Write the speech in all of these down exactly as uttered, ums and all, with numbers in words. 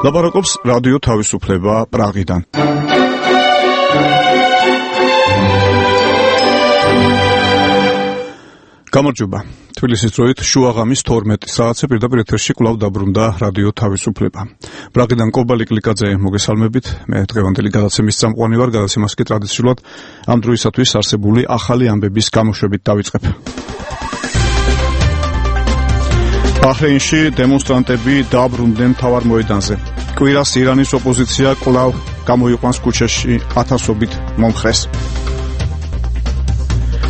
ლაპარაკობს რადიო თავისუფლება პრაღიდან. გამარჯობა. თბილისის დროით შუაღამის თორმეტი საათზე პირდაპირ ეთერში კვლავ დაბრუნდა რადიო თავისუფლება. პრაღიდან კობალი კლიკაძე მოგესალმებით. მე დღევანდელი გადაცემის წამყვანი ვარ, გადაცემას კი ტრადიციულად ამ დროისათვის არსებული ახალი ამბების გამოშვებით დავიწყებ. ბაჰრეინში დემონსტრანტები დაბრუნდნენ მთავარ მოედანზე. კვირას ირანის ოპოზიცია კვლავ გამოიყვანს ქუჩაში ათასობით მომხრეს.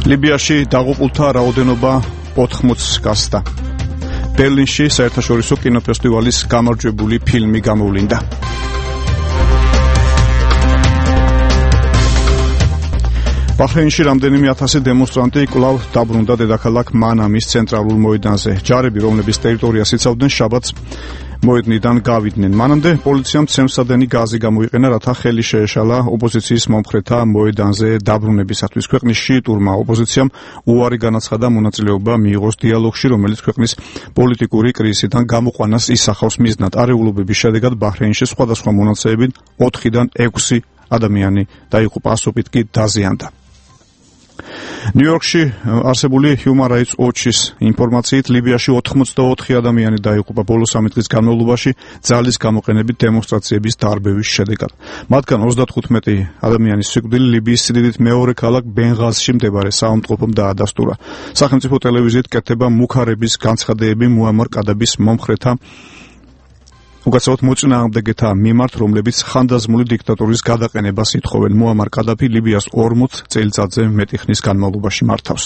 ლიბიაში დაღუპულთა რაოდენობა ოთხმოცს გასცდა. ბერლინში საერთაშორისო კინოფესტივალის გამარჯვებული ფილმი გამოვლინდა. ბაჰრეინში რამდენიმე ათასი დემონსტრანტი კვლავ დაბრუნდა დედაქალაქ მანამის ცენტრალურ მოედანზე. ჯარები, რომლების ტერიტორიას იცავდნენ, შაბათს მოედნიდან გავიდნენ. მანამდე პოლიციამ ცემსადენი გაზი გამოიყენა, რათა ხელი შეეშალა ოპოზიციის მომხრეთა მოედანზე დაბრუნებისათვის. ქვეყნის შიიტურმა ოპოზიციამ უარი განაცხადა მონაწილეობა მიიღოს დიალოგში, რომელიც ქვეყნის პოლიტიკური კრიზისიდან გამოყვანას ისახავს მიზნად. არეულობების შედეგად ბაჰრეინში სხვადასხვა მონაცემებით ოთხიდან ექვსი ადამიანი დაიღუპა, ასობით კი დაზიანდა. ნიუ-იორკში არსებული Human Rights Watch-ის ინფორმაციით ლიბიაში ოთხმოცდაოთხი ადამიანი დაიღუპა ბოლო სამი დღის განმავლობაში ძალის გამოყენებით დემონსტრაციების დარბევის შედეგად. მათგან ოცდათხუთმეტი ადამიანის სიკვდილი ლიბიის სიდიდით მეორე ქალაქ ბენღაზში მდებარე საავადმყოფომ დაადასტურა. სახელმწიფო ტელევიზიით კეთდება მუქარების განცხადებები მუამარ კადაბის მომხრეთა უკაცრავად მოწინააღმდეგეთა მიმართ, რომლებიც ხანდაზმული დიქტატურის გადაყენებას ითხოვენ. მუამარ კადაფი ლიბიას ორმოც წელიწადზე მეტი ხნის განმავლობაში მართავს.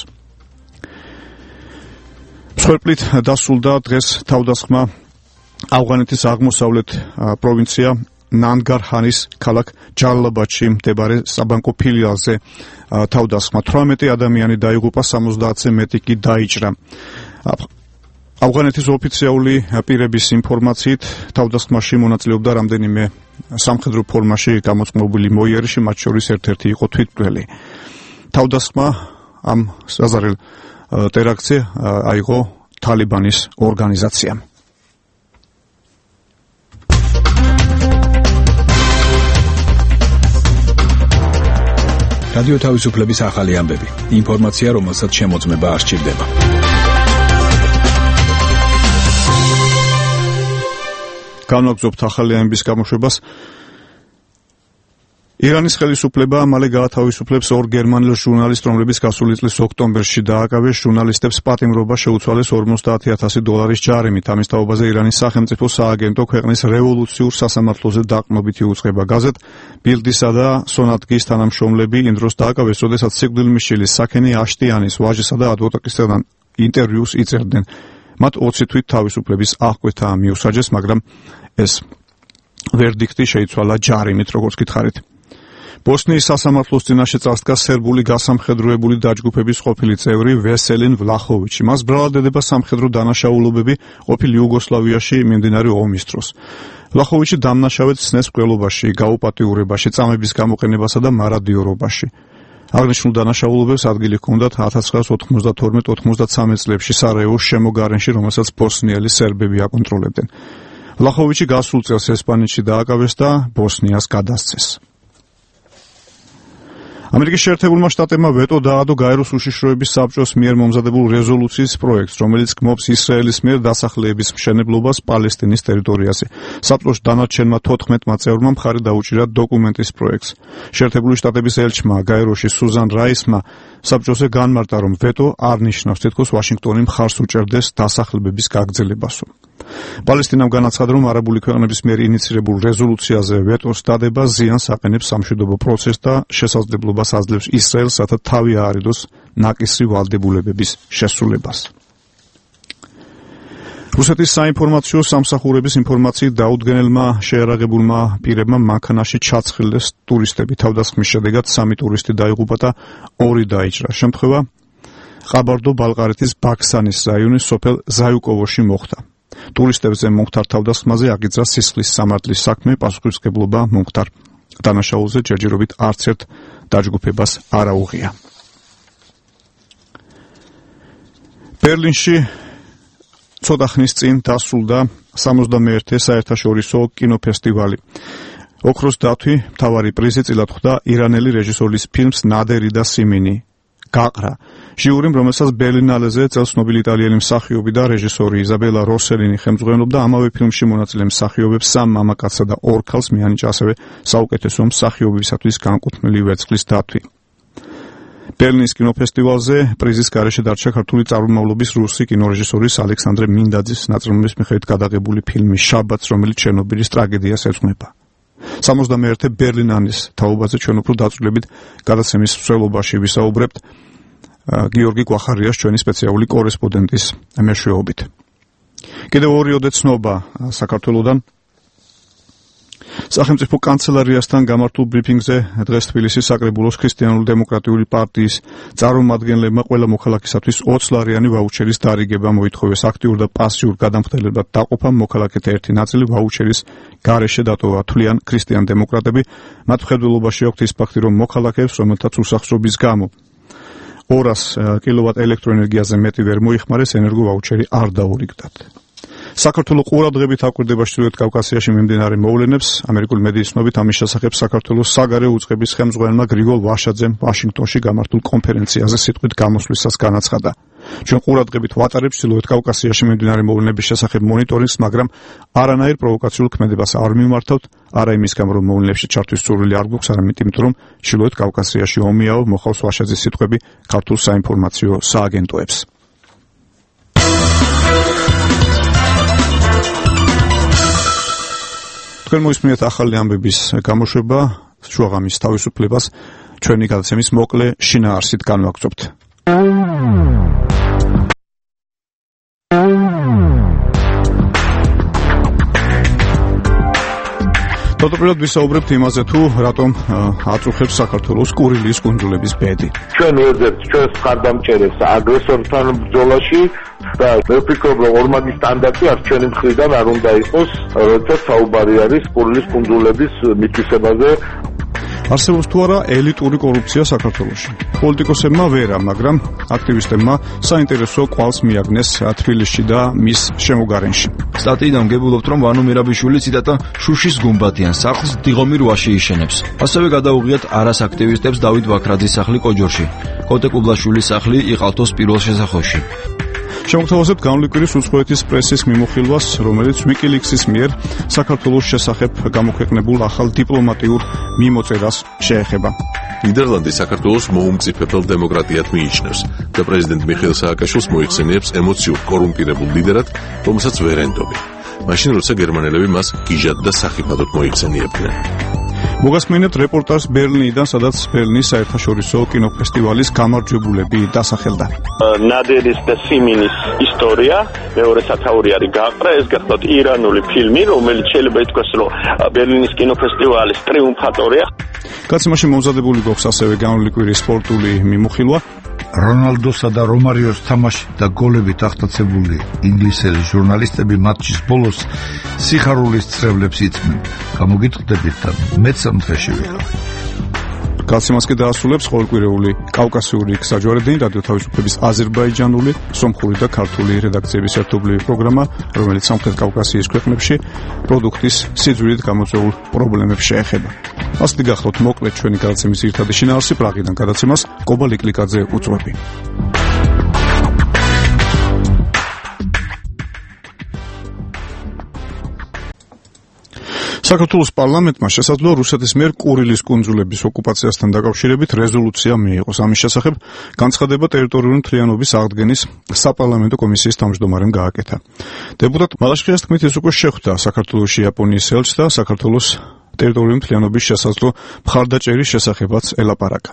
მსხვერპლით დასრულდა დღეს თავდასხმა ავღანეთის აღმოსავლეთ პროვინცია ნანგარჰანის ქალაქ ჯალალაბადში მდებარე საბანკო ფილიალზე თავდასხმა. თვრამეტი ადამიანი დაიღუპა, სამოცდაათზე მეტი კი დაიჭრა. ავღანეთის ოფიციალური პირების ინფორმაციით თავდასხმაში მონაწილეობდა რამდენიმე სამხედრო ფორმაში გამოწყობილი მოიერიში, მათ შორის ერთ-ერთი იყო თვითმკვლელი. თავდასხმა ამ საზარელ ტერაქტზე აიღო თალიბანის ორგანიზაციამ. რადიო თავისუფლების ახალი ამბები. ინფორმაცია, რომელსაც შემოწმება არ სჭირდება. განვაგრძობთ ახალი ამბების გამოშვებას. ირანის ხელისუფლება მალე გაათავისუფლებს ორ გერმანელ ჟურნალისტს, რომლებიც გასული წლის ოქტომბერში დააკავეს. ჟურნალისტებს პატიმრობა შეუცვალეს ორმოცდაათი ათასი დოლარის ჯარიმით. ამის თაობაზე ირანის სახელმწიფო სააგენტო ქვეყნის რევოლუციურ სასამართლოზე დაყრდნობით იუწყება. გაზეთ ბილდისა და სონატგის თანამშრომლები იმ დროს დააკავეს, როდესაც სიკვდილმისჩილის საქენი აშტიანის ვაჟისა და ადვოკატისგან ინტერვიუს იწერდნენ. მათ ოცი თვით თავისუფლების აღკვეთა მიუსაჯეს, მაგრამ ეს ვერდიქტი შეიცვალა ჯარიმით, როგორც გითხარით. ბოსნიის სასამართლოს წინაშე წასდგა სერბული გასამხედროებული დაჯგუფების ყოფილი წევრი ვესელინ ვლახოვიჩი. მას ბრალადდება სამხედრო დანაშაულობები ყოფილ იუგოსლავიაში მიმდინარე ომის დროს. ვლახოვიჩი დამნაშავედ სცნეს მკვლელობაში, გაუპატიურებაში, წამების გამოყენებასა და მარადიორობაში. აღნიშნულ დანაშაულობებს ადგილი ჰქონდათ ათას ცხრაას ოთხმოცდათორმეტ ოთხმოცდაცამეტ წლებში სარაევოს შემოგარენში, რომელსაც ბოსნიელი სერბები აკონტროლებდნენ. ვლახოვიჩი გასულ წელს ესპანეთში დააკავეს და ბოსნიას გადასცეს. ამერიკის შეერთებულმა შტატებმა ვეტო დაადო გაეროს უშიშროების საბჭოს მიერ მომზადებულ რეზოლუციის პროექტს, რომელიც გმობს ისრაელის მიერ დასახლების მშენებლობას პალესტინის ტერიტორიაზე. საბჭოს დანარჩენმა თოთხმეტმა წევრმა მხარი დაუჭირა დოკუმენტის პროექტს. შეერთებული შტატების ელჩმა გაეროში სუზან რაისმა საბჭოზე განმარტა, რომ ვეტო არ ნიშნავს, თითქოს ვაშინგტონი მხარს უჭერდეს დასახლებების გაგრძელებასო. პალესტინამ განაცხადა, რომ არაბული ქვეყნების მიერ ინიცირებულ რეზოლუციაზე ვეტოს დადება ზიანს აყენებს სამშვიდობო პროცესს და შესაძლებლობას აძლევს ისრაელს, რათა თავი აარიდოს ნაკისრი ვალდებულებების შესრულებას. რუსეთის საინფორმაციო სამსახურების ინფორმაციით დაუდგენელმა შეერაღებულმა პირებმა მანქანაში ჩაცხრილეს ტურისტები. თავდასხმის შედეგად სამი ტურისტი დაიღუპა და ორი დაიჭრა. შემთხვევა ყაბარდო-ბალყარეთის ბაქსანის რაიონის სოფელ ზაიუკოვოში მოხდა. ტურისტებზე მომხდარ თავდასხმაზე აგიძრა სისხლის სამართლის საქმე, პასუხისმგებლობა მომხდარ დანაშაულზე ჯერჯერობით არც ერთ დაჯგუფებას არ აუღია. ბერლინში ცოტა ხნის წინ დასრულდა სამოცდამეერთე საერთაშორისო კინოფესტივალი. ოქროს დათვი მთავარი პრიზი წილად ხვდა ირანელი რეჟისორის ფილმს ნადერი და სიმინი გაყრა. ჟიურიმ, რომელსაც ბერლინალეზე წელს ცნობილი იტალიელი მსახიობი და რეჟისორი იზაბელა როსელინი ხელმძღვანელობდა, ამავე ფილმში მონაწილე მსახიობებს სამ მამაკაცსა და ორ ქალს მიანიჭა ასევე საუკეთესო მსახიობისათვის განკუთვნილი ვერცხლის დათვი. ბერლინის კინოფესტივალზე პრიზის გარეშე დარჩა ქართული წარმომავლობის რუსი კინორეჟისორის ალექსანდრე მინდაძის ნაწარმოების მიხედვით გადაღებული ფილმი შაბათს, რომელიც ჩერნობილის ტრაგედიას ეძღვნება. სამოცდამეერთე ბერლინალის თაობაზე ჩვენ უფრო დაწვრილებით გადაცემის მსვლელობაში ვისაუბრებთ გიორგი კვახარიას, ჩვენი სპეციალური კორესპონდენტის მეშვეობით. კიდევ ორიოდე ცნობა საქართველოდან. სახელმწიფო კანცელარიასთან გამართულ ბრიფინგზე დღეს თბილისის საკრებულოს ქრისტიანულ-დემოკრატიული პარტიის წარმომადგენლებმა ყველა მოქალაქისათვის ოცი ლარიანი ვაუჩერის დარიგება მოითხოვეს. აქტიურ და პასიურ გადამხდელებად დაყოფა მოქალაქეთა ერთი ნაწილი ვაუჩერის გარეშე დატოვა, თვლიან ქრისტიან-დემოკრატები. მათ მხედველობაში აქვთ ის ფაქტი, რომ მოქალაქეებს, რომელთაც უსახსრობის გამო ორას კილოვატ ელექტროენერგიაზე მეტი ვერ მოიხმარეს, ენერგო ვაუჩერი არ დაურიგდათ. საქართველოს ყურადღებით აკვირდება ჩრდილოეთ კავკასიაში მიმდინარე მოვლენებს. ამერიკული მედიის ცნობით ამის შესახებ საქართველოს საგარეო უწყების ხელმძღვანელმა გრიგოლ ვაშაძემ ვაშინგტონში გამართულ კონფერენციაზე სიტყვით გამოსვლისას განაცხადა. ჩვენ ყურადღებით ვატარებთ ჩრდილოეთ კავკასიაში მიმდინარე მოვლენების შესახებ მონიტორინგს, მაგრამ არანაირ პროვოკაციულ ქმედებას არ მიმართავთ, არა იმის გამო, რომ მოვლენებში ჩართვის სურვილი არ გვაქვს, არამედ იმიტომ, რომ ჩრდილოეთ კავკასიაში ომიაო, მოხავს ვაშაძის სიტყვები ქართულ საინფორმაციო სააგენტოებს. თქვენ მოისმინეთ ახალი ამბების გამოშვება, შუაღამის თავისუფლებას ჩვენი გადაცემის მოკლე შინაარსით განვაგრძობთ. თავდაპირველად ვისაუბრებთ იმაზე, თუ რატომ აწუხებს საქართველოს კურილის კუნძულების ბედი. ჩვენ ვეძებთ ჩვენს მხარდამჭერებს აგრესორთან ბრძოლაში და მე ვფიქრობ, რომ ორმაგი სტანდარტი არ ჩვენი მხრიდან არ უნდა იყოს, როდესაც საუბარი არის კურილის კუნძულების მითვისებაზე. არსებობს თუ არა ელიტური კორუფცია საქართველოში? პოლიტიკოსებმა ვერა, მაგრამ აქტივისტებმა საინტერესო კვალს მიაგნეს თბილისში და მის შემოგარენში. სტატიიდან გებულობთ, რომ ვანო მირაბიშვილი ციტატა შუშის გუმბათიან სახლს დიღომი რვაში იშენებს. ასევე გადაუღიათ არას აქტივისტებს დავით ვაქრაძის სახლი კოჯორში, კოტე კუბლაშვილის სახლი იყალთოს პირველ შესახვევში. შემოგთავაზებთ განვლიკვირის უცხოეთის პრესის მიმოხილვას, რომელიც WikiLeaks-ის მიერ საქართველოს შესახებ გამოქვეყნებულ ახალ დიპლომატიურ მიმოწერას შეეხება. ნიდერლანდი საქართველოს მოუმწიფებელ დემოკრატიად მიიჩნევს და პრეზიდენტ მიხეილ სააკაშვილს მოიხსენიებს ემოციურ კორუმპირებულ ლიდერად, რომელსაც ვერ ენდობენ. მაშინ, როცა გერმანელები მას გიჟად და სახიფათოდ მოიხსენიებდნენ. მოგასმენებთ რეპორტაჟს ბერლინიდან, სადაც ბერლინის საერთაშორისო კინოფესტივალის გამარჯვებულები დასახელდა. ნადერის და სიმინის ისტორია მეორე სათაური არის გაყრა. ეს გახლავთ ირანული ფილმი, რომელიც შეიძლება ითქვას, რომ ბერლინის კინოფესტივალის ტრიუმფატორია. გაცემაში მომზადებული გვაქვს ასევე განვლიკვირის სპორტული მიმოხილვა. რონალდოსა და რომარიოს თამაში და გოლებით აღტაცებული ინგლისელი ჟურნალისტები მატჩის ბოლოს სიხარულის წრებლებს იწმენ. გამოგიტყდებით და მეც ამ დღეში ვიყავ. გაცემას კი დაასრულებს ყოველკვირეული კავკასიური გზაჯვარედინი, რადიო თავისუფლების აზერბაიჯანული, სომხური და ქართული რედაქციების ერთობლივი პროგრამა, რომელიც სამხრეთ კავკასიის ქვეყნებში პროდუქტის სიძველით გამოწვეულ პრობლემებს შეეხება. ასეთი გახლავთ მოკლედ ჩვენი გადაცემის ძირითადი შინაარსი. პრაღიდან გადაცემას კობა ლიკლიკაძე უწვევი. საქართველოს პარლამენტმა შესაძლოა რუსეთის მიერ კურილის კუნძულების ოკუპაციასთან დაკავშირებით რეზოლუცია მიიღოს. ამის შესახებ განცხადება ტერიტორიული მთლიანობის აღდგენის საპარლამენტო კომისიის თავმჯდომარემ გააკეთა. დეპუტატ მალაშხიას თქმით, ის უკვე შეხვდა საქართველოში იაპონიის ელჩს და საქართველოს ტერიტორიული მთლიანობის შესაძლო მხარდაჭერის შესახებაც ელაპარაკა.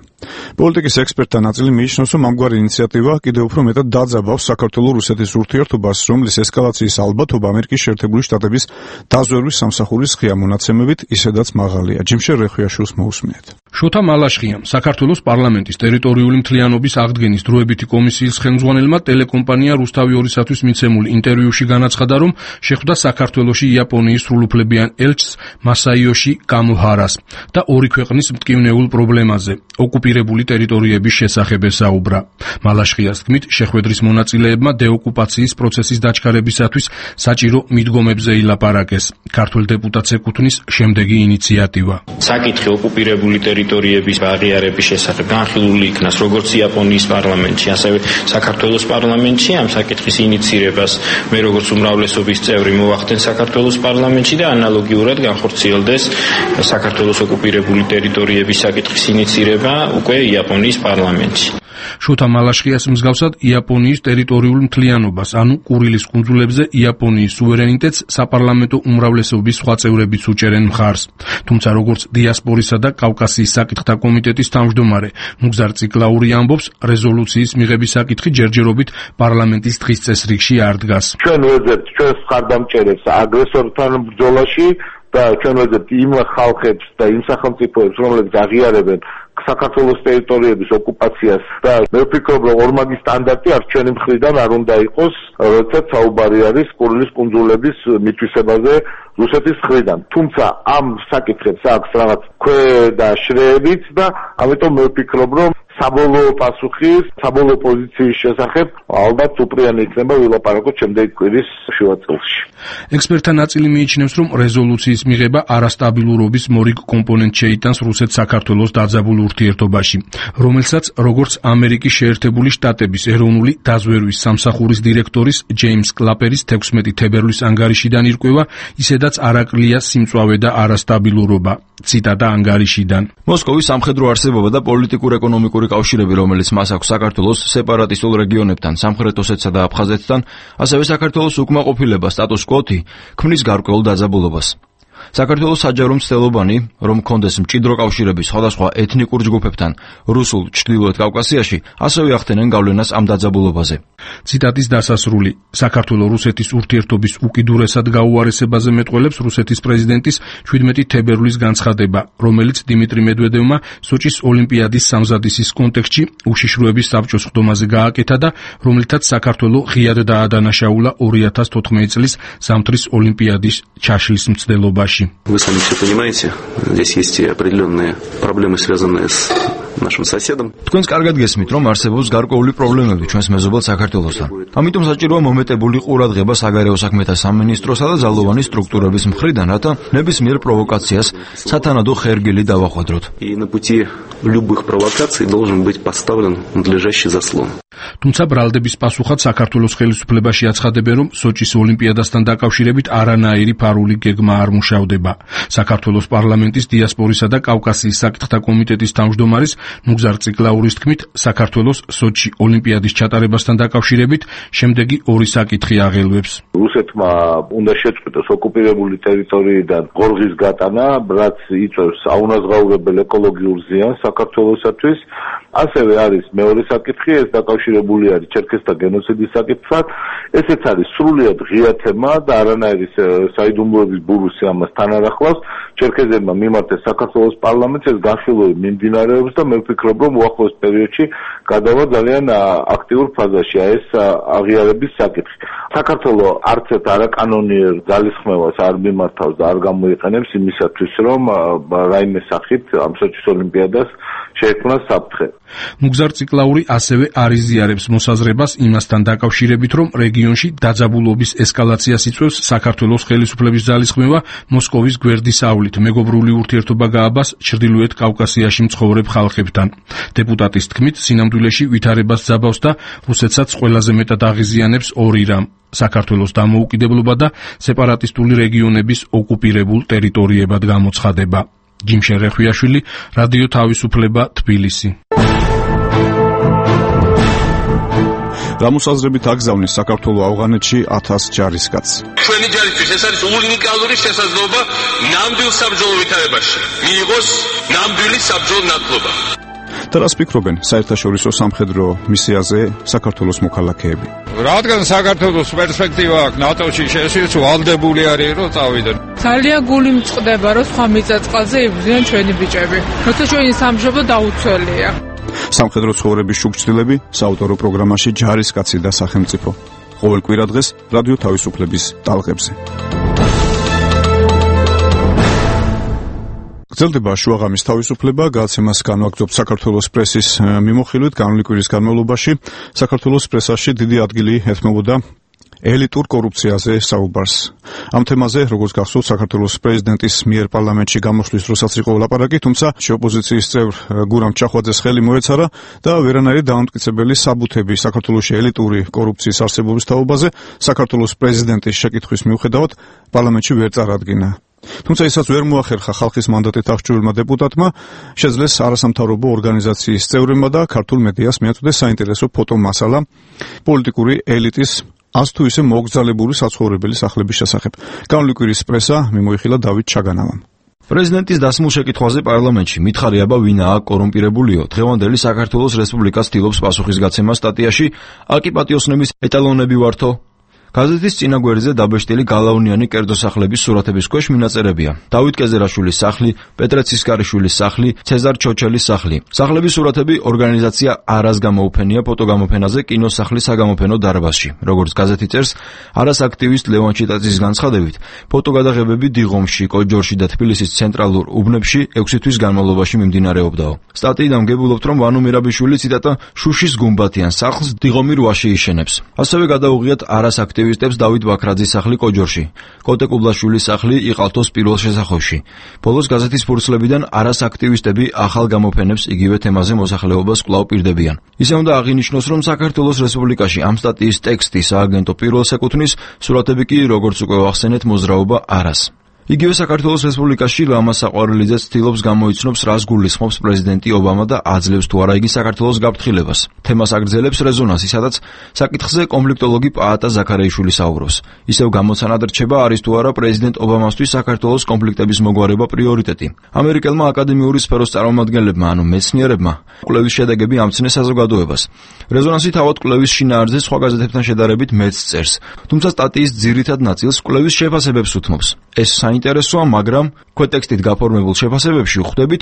პოლიტიკის ექსპერტთა ნაწილი მიიჩნევს, რომ ამგვარი ინიციატივა კიდევ უფრო მეტად დაძაბავს საქართველოს-რუსეთის ურთიერთობას, რომლის ესკალაციის ალბათობა ამერიკის შეერთებული შტატების დაზვერვის სამსახურის ღია მონაცემებით ისედაც მაღალია. ჯიმშერ რეხვიაშვილს მოусმინეთ. შოთა მალაშხიამ, საქართველოს პარლამენტის ტერიტორიული მთლიანობის აღდგენის დროებითი კომისიის ხელმძღვანელმა ტელეკომპანია რუსთავი ორისათვის მიცემულ ინტერვიუში განაცხადა, რომ შეხვდა საქართველოში იაპონიის სრულუფლებიან ელჩს მასაიოში კამოჰარას და ორი ქვეყნის მტკივნეულ პრობლემაზე, ოკუპირებულ ოკუპირებული ტერიტორიების შესახებ ესაუბრა. მალაშხიას თქმით, შეხვედრის მონაწილეებმა დეოკუპაციის პროცესის დაჩქარებისათვის საჭირო მიდგომებზე ილაპარაკეს. ქართველ დეპუტატს ეკუთვნის შემდეგი ინიციატივა. საკითხი ოკუპირებული ტერიტორიების აღიარების შესახებ განხილული იქნას როგორც იაპონიის პარლამენტში, ასევე საქართველოს პარლამენტში. ამ საკითხის ინიცირებას მე როგორც უმრავლესობის წევრი მოვახდენ საქართველოს პარლამენტში და ანალოგიურად განხორციელდეს საქართველოს ოკუპირებული ტერიტორიების საკითხის ინიცირება უკვე იაპონიის პარლამენტში. შოთა მალაშხიას მსგავსად იაპონიის ტერიტორიულ მთლიანობას, ანუ კურილის კუნძულებზე იაპონიის სუვერენიტეტს საპარლამენტო უმრავლესობის სხვა წევრებიც უჭერენ მხარს. თუმცა როგორც დიასპორისა და კავკასიის საკითხთა კომიტეტის თავმჯდომარე მუგზარ ციკლაური ამბობს, რეზოლუციის მიღების საკითხი ჯერჯერობით პარლამენტის დღის წესრიგში არ დგას. ჩვენ ვეძებთ ჩვენს მხარდამჭერებს აგრესორთან ბრძოლაში და ჩვენ ვეძებთ იმ ხალხებს და იმ სახელმწიფოებს, რომლებიც აღიარებენ საქართველოს ტერიტორიების ოკუპაციას და მე ვფიქრობ, რომ ორმაგი სტანდარტი არ ჩვენი მხრიდან არ უნდა იყოს, როდესაც საუბარი არის კურილის კუნძულების მითვისებაზე რუსეთის მხრიდან. თუმცა ამ საკითხებს აქვს რაღაც ქვედაშრეებიც და ამიტომ მე ვფიქრობ, რომ საბოლოო პასუხი, საბოლოო პოზიციის შესახებ ალბათ უპრიანი იქნება ვილაპარაკოთ შემდეგი კვირის შუა წელში. ექსპერტთა ნაწილი მიიჩნევს, რომ რეზოლუციის მიღება არასტაბილურობის მორიგ კომპონენტს შეიტანს რუსეთ-საქართველოს დაძაბულ ურთიერთობაში, რომელსაც როგორც ამერიკის შეერთებული შტატების ეროვნული დაზვერვის სამსახურის დირექტორის ჯეიმს კლაპერის თექვსმეტი თებერვლის ანგარიშიდან ირკვევა, ისედაც არაკლია სიმწვავე და არასტაბილურობა. ციტატა ანგარიშიდან. მოსკოვის სამხედრო არსებობა და პოლიტიკურ-ეკონომიკური კავშირები, რომელიც მას აქვს საქართველოს სეპარატისტულ რეგიონებთან, სამხრეთ ოსეთსა და აფხაზეთთან, ასევე საქართველოს უკმაყოფილება სტატუს კვოთი ქმნის გარკვეულ დაძაბულობას. საქართველოს საჯარო მცდელობანი, რომ კონდეს მჭიდრო კავშირები სხვადასხვა ეთნიკურ ჯგუფებთან რუსულ ჩრდილოეთ კავკასიაში, ასევე ახდენენ გავლენას ამ დაძაბულობაზე. ციტატის დასასრული. საქართველო-რუსეთის ურთიერთობის უკიდურესად გაუარესებაზე მეტყველებს რუსეთის პრეზიდენტის შვიდმეტი თებერვლის განცხადება, რომელიც დიმიტრი მედვედევმა სოჭის ოლიმპიადის სამზადისის კონტექსტში უშიშროების საბჭოს ხდომაზე გააკეთა და რომელთაც საქართველო ღიად დაადანაშაულა ორი ათას თოთხმეტი წლის ზამთრის ოლიმპიადის ჩაშლის მცდელობაში. Вы сами все понимаете, здесь есть и определенные проблемы, связанные с нашим соседом. Თქვენს კარგად გესმით, რომ არსებობს გარკვეული პრობლემები ჩვენს მეზობელ საქართველოსთან. ამიტომ საჭიროა მომეტებული ყურადღება საგარეო საქმეთა სამინისტროსა და ძალოვანი სტრუქტურების მხრიდან, რათა ნებისმიერ პროვოკაციას სათანადო ხერგილი დავახვედროთ. И на пути любых провокаций должен быть поставлен надлежащий заслон. თუმცა ბრალდების პასუხად საქართველოს ხელისუფლებაში აცხადებენ, რომ სოჭის ოლიმპიადასთან დაკავშირებით არანაირი ფარული გეგმა არ მუშავდება. საქართველოს პარლამენტის დიასპორისა და კავკასიის საკითხთა კომიტეტის თავმჯდომარის მუგზარ ციკლაურის თქმით, საქართველოს სოჭი ოლიმპიადის ჩატარებასთან დაკავშირებით შემდეგი ორი საკითხი აღელვებს. რუსეთმა უნდა შეწყვიტოს ოკუპირებული ტერიტორიიდან ღორღის გატანა, რაც იწვევს აუნაზღაურებელ ეკოლოგიურ ზიანს საქართველოსათვის. ასევე არის მეორე საკითხი, ეს დაკავშირებული არის ჩერქეზთა გენოციდის საკითხთან. ესეც არის სრულიად ღია თემა და არანაირი საიდუმლოების ბურუსი ამას თან არ ახლავს. ჩერქეზებმა მიმართეს საქართველოს პარლამენტს, ეს განხილვები მიმდინარეობს და მე ვფიქრობ, რომ უახლოეს პერიოდში გადავა ძალიან აქტიურ ფაზაში ეს აღიარების საკითხი. საქართველო არც ერთ არაკანონიერ ძალისხმევას არ მიმართავს და არ გამოიყენებს იმისათვის, რომ რაიმე სახით ამ სოჭის ოლიმპიადას შეექმნას საფრთხე. მუგზარ ციკლაური ასევე არ იზიარებს მოსაზრებას იმასთან დაკავშირებით, რომ რეგიონში დაძაბულობის ესკალაციას იწვევს საქართველოს ხელისუფლების ძალისხმევა მოსკოვის გვერდის ავლით მეგობრული ურთიერთობა გააბას ჩრდილოეთ კავკასიაში მცხოვრებ ხალხებთან. დეპუტატის თქმით, სინამდვილეში ვითარებას ძაბავს და რუსეთსაც ყველაზე მეტად აღიზიანებს ორი რამ: საქართველოს დამოუკიდებლობა და სეპარატისტული რეგიონების ოკუპირებულ ტერიტორიებად გამოცხადება. ჯიმშენ რეხვიაშვილი, რადიო თავისუფლება, თბილისი. გამოსაზრებით აგზავნის საქართველოს ავღანეთში ათას ჯარისკაცს. ჩვენი ჯარისთვის ეს არის უნიკალური შესაძლებლობა ნამდვილ საბრძოლო ვითარებაში მიიღოს ნამდვილი საბრძოლო ნათლობა. და რას ფიქრობენ საერთაშორისო სამხედრო მისიაზე საქართველოს მოქალაქეები? რადგან საქართველოს პერსპექტივა აქვს ნატოში შესვლის, ვალდებული არის რომ წავიდნენ. ძალიან გული მწყდება რომ სხვა მიწა-წყალზე იბრძვიან ჩვენი ბიჭები. როცა ჩვენი სამშობლო დაუცველია. სამხედრო ცხოვრების შუქჩილები საავტორო პროგრამაში ჯარისკაცი და სახელმწიფო. ყოველ კვირა დღეს რადიო თავისუფლების ტალღებზე. გრძელდება შუაღამის თავისუფლება, გადაცემას განვაგრძობთ საქართველოს პრესის მიმოხილვით. განვლილი კვირის განმავლობაში საქართველოს პრესაში დიდი ადგილი ეთმობოდა ელიტურ კორუფციაზე საუბარს. ამ თემაზე, როგორც გახსოვთ, საქართველოს პრეზიდენტის მიერ პარლამენტში გამოსვლის დროსაც იყო ლაპარაკი, თუმცა ოპოზიციის წევრ გურამ ჩახვაძეს ხელი მოეცარა და ვერანაირი დამამტკიცებელი საბუთები საქართველოში ელიტური კორუფციის არსებობის თაობაზე საქართველოს პრეზიდენტის შეკითხვის მიუხედავად პარლამენტში ვერ წარადგინა. თუმცა ისაც ვერ მოახერხა ხალხის მანდატით აღჭურვილმა დეპუტატმა, შეძლეს არასამთავრობო ორგანიზაციის წევრებმა და ქართულ მედიას მიაწოდეს საინტერესო ფოტომასალა პოლიტიკური ელიტის ას თუ ისე მოგზალებული საცხოვრებელი სახლების შესახებ. განვლილი კვირის პრესა მიმოიხილა დავით ჩაგანავამ. პრეზიდენტის დასმულ შეკითხვაზე პარლამენტში მითხარი აბა ვინაა კორუმპირებულიო. დღევანდელი საქართველოს რესპუბლიკა ცდილობს პასუხისგაცემას სტატიაში აკი პატიოსნების ეტალონები ვართო. გაზეთის წინა გვერდზე დაბეჭდილი გალაუნიანი კერძო სახლების სურათების ქვეშ მინაწერებია. დავით კეზერაშვილის სახლი, პეტრე ცისკარიშვილის სახლი, ცეზარ ჩოჩელის სახლი. სახლების სურათები ორგანიზაცია არას გამოუფენია ფოტოგამოფენაზე კინოსახლის საგამოფენო დარბაზში. როგორც გაზეთი წერს, არას აქტივისტ ლევან ჩიტაძის განცხადებით, ფოტოგადაღებები დიღომში, კოჯორში და თბილისის ცენტრალურ უბნებში ექვსი თვის განმავლობაში მიმდინარეობდაო. სტატიიდან ვგებულობთ, რომ ვანო მირაბიშვილი ციტატა შუშის გუმბათიან სახლს დიღომი რვაში იშენებს. ასევე გადაუღიათ არას აქტივისტებს დავით ბაქრაძის სახლი კოჯორში, კოტე კუბლაშვილის სახლი იყალთოს პირველ შესახვევში. ბოლოს გაზეთის ფურცლებიდან არას აქტივისტები ახალ გამოფენებს იგივე თემაზე მოსახლეობას კვლავ პირდებიან. ისე უნდა აღინიშნოს, რომ საქართველოს რესპუბლიკაში ამ სტატიის ტექსტი სააგენტო პირველს ეკუთვნის, სურათები კი, როგორც უკვე ვახსენეთ, მოძრაობა არას. იგივე საქართველოს რესპუბლიკაში ლამა საყვარელიძე ცდილობს გამოიცნობს, რას გულისხმობს პრეზიდენტი ობამა და აძლევს თუ არა იგი საქართველოს გაფრთხილებას. თემას აგრძელებს რეზონანსი, სადაც საკითხზე კონფლიქტოლოგი პაატა ზაქარეიშვილი საუბრობს. ისევ გამოცანად რჩება, არის თუ არა პრეზიდენტ ობამასთვის საქართველოს კონფლიქტების მოგვარება პრიორიტეტი. ამერიკელმა აკადემიური სფეროს წარმომადგენლებმა, ანუ მეცნიერებმა, კვლევის შედეგები ამცნეს საზოგადოებას. რეზონანსი თავად კვლევის შინაარსზე სხვა გაზეთებთან შედარებით მეც წერს, თუმცა სტატიის ძირითად ნაწილს კვლევის შეფასებებს უთმობს. ეს საინტერესოა, მაგრამ ქვეტექსტით გაფორმებულ შეფასებებში ვხვდებით,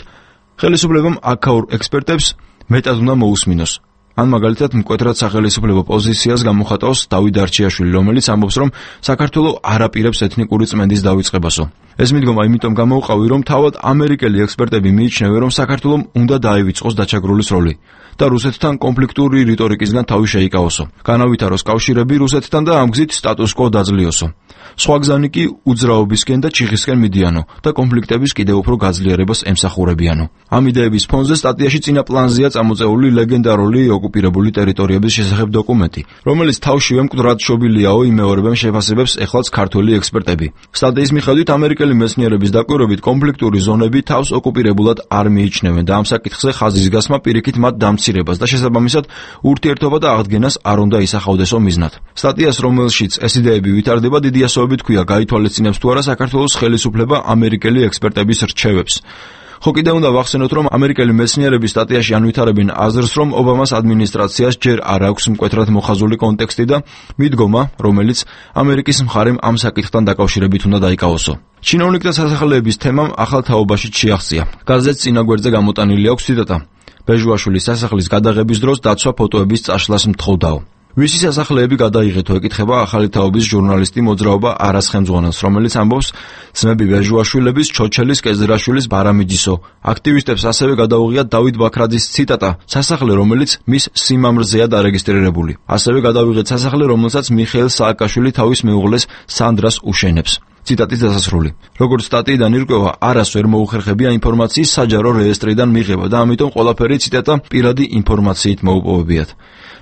ხელისუფლებამ აქაურ ექსპერტებს მეტად უნდა მოусმინოს. ან მაგალითად მკვეთრად სახელისუფლებო პოზიციას გამოხატავს დავით დარჩიაშვილი, რომელიც ამბობს, რომ საქართველო არ აპირებს ეთნიკური წმენდის დავიწყებასო. ეს მიდგომა იმიტომ გამოვყავი, რომ თავად ამერიკელი ექსპერტები მიიჩნევენ, რომ საქართველომ უნდა დაივიწყოს დაჩაგრულის როლი და რუსეთთან კონფლიქტური რიტორიკისგან თავი შეიკავოსო. განავითაროს კავშირები რუსეთთან და ამ გზით სტატუს კვო დაძლიოსო. სხვა გზანი კი უძრაობისკენ და ჩიხისკენ მიდიანო და კონფლიქტების კიდევ უფრო გაძლიერებას ემსახურებიანო. ამ იდეების ფონზე სტატიაში წინა პლანზეა წამოწეული ლეგენდარული ოკუპირებული ტერიტორიების შესახებ დოკუმენტი, რომელიც თავშივე მკვდრად შობილიაო იმეორებენ შეფასებებს ეხლაც ქართველი ექსპერტები. სტატიის მიხედვით ამერიკელი მეცნიერების დაკვირვებით კონფლიქტური ზონები თავს ოკუპირებულად არ მიიჩნევენ და ამ საკითხზე ხაზის გასმა პირიქით მათ დამცირებას და შესაბამისად ურთიერთობა და აღდგენას არ უნდა ისახავდესო მიზნად. სტატიას, რომელშიც ეს იდეები ვითარდება, დიდი ასოებით ქვია გაითვალისწინებს თუ არა საქართველოს ხელისუფლება ამერიკელი ექსპერტების რჩევებს. ხო კიდევ უნდა ვახსენოთ, რომ ამერიკელი მეცნიერები სტატიაში ანვითარებენ აზრს, რომ ობამას ადმინისტრაციას ჯერ არ აქვს მკვეთრად მოხაზული კონტექსტი და მიდგომა, რომელიც ამერიკის მხარემ ამ საკითხთან დაკავშირებით უნდა დაიკავოსო. ჩინოვნიკთა სასახლეების თემამ ახალ თაობაშიც შეაღწია. გაზეთს წინა გვერდზე გამოტანილი აქვს ციტატა: ბეჟუაშვილის სასახლის გადაღების დროს დაცვა ფოტოების წაშლას მთხოვდაო. ვისი სასახლეები გადაიღეთო, ეკითხება ახალი თაობის ჟურნალისტი მოძრაობა არას ხელმძღვანელს, რომელიც ამბობს, ძმები ბეჟუაშვილების, ჩოჩელის, კეზერაშვილის, ბარამიძისო. აქტივისტებს ასევე გადაუღიათ დავით ბაქრაძის ციტატა: სასახლე, რომელიც მის სიმამრზეა დარეგისტრირებული. ასევე გადავიღეთ სასახლე, რომელსაც მიხეილ სააკაშვილი თავის მეუღლეს სანდრას უშენებს. ციტატის დასასრული. როგორც სტატიიდან ირკვევა, არას ვერ მოუხერხებია ინფორმაციის საჯარო რეესტრიდან მიღება და ამიტომ ყველაფერი ციტატა პირადი ინფორმაციით მოუპოვებიათ.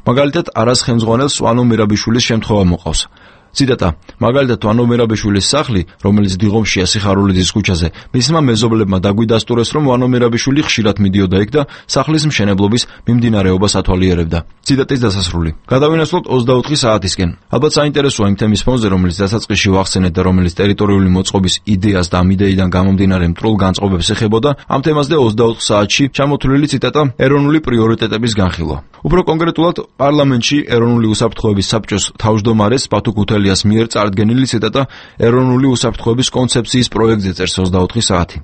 მაგალითად, არას ხელმძღვანელს ვანო მირაბიშვილის შემთხვევა მოყავს. ციტატა: მაგალითად, ვანო მირაბიშვილის სახლი, რომელიც დიღომშია სიხარულიძის ქუჩაზე, მისმა მეზობლებმა დაგვიდასტურეს, რომ ვანო მირაბიშვილი ხშირად მიდიოდა იქ და სახლის მშენებლობის მიმდინარეობას ათვალიერებდა. ციტატის დასასრული. გადავინაცვლოთ ოცდაოთხი საათისკენ. ალბათ საინტერესოა იმ თემის ფონზე, რომელიც დასაწყისში ვახსენეთ და რომელიც ტერიტორიული მოწყობის იდეას და ამ იდეიდან გამომდინარე მტრულ განწყობებს ეხებოდა, ამ თემაზე ოცდაოთხ საათში ჩამოთვლილი ციტატა: ეროვნული პრიორიტეტების განხილვა. უფრო კონკრეტულად, პარლამენტში ეროვნული უსაფრთხოების საბჭოს თავმჯდომარეს ბათუ ქუთელიას მიერ წარდგენილი ციტატა ეროვნული უსაფრთხოების კონცეფციის პროექტზე წერს ოცდაოთხი საათი.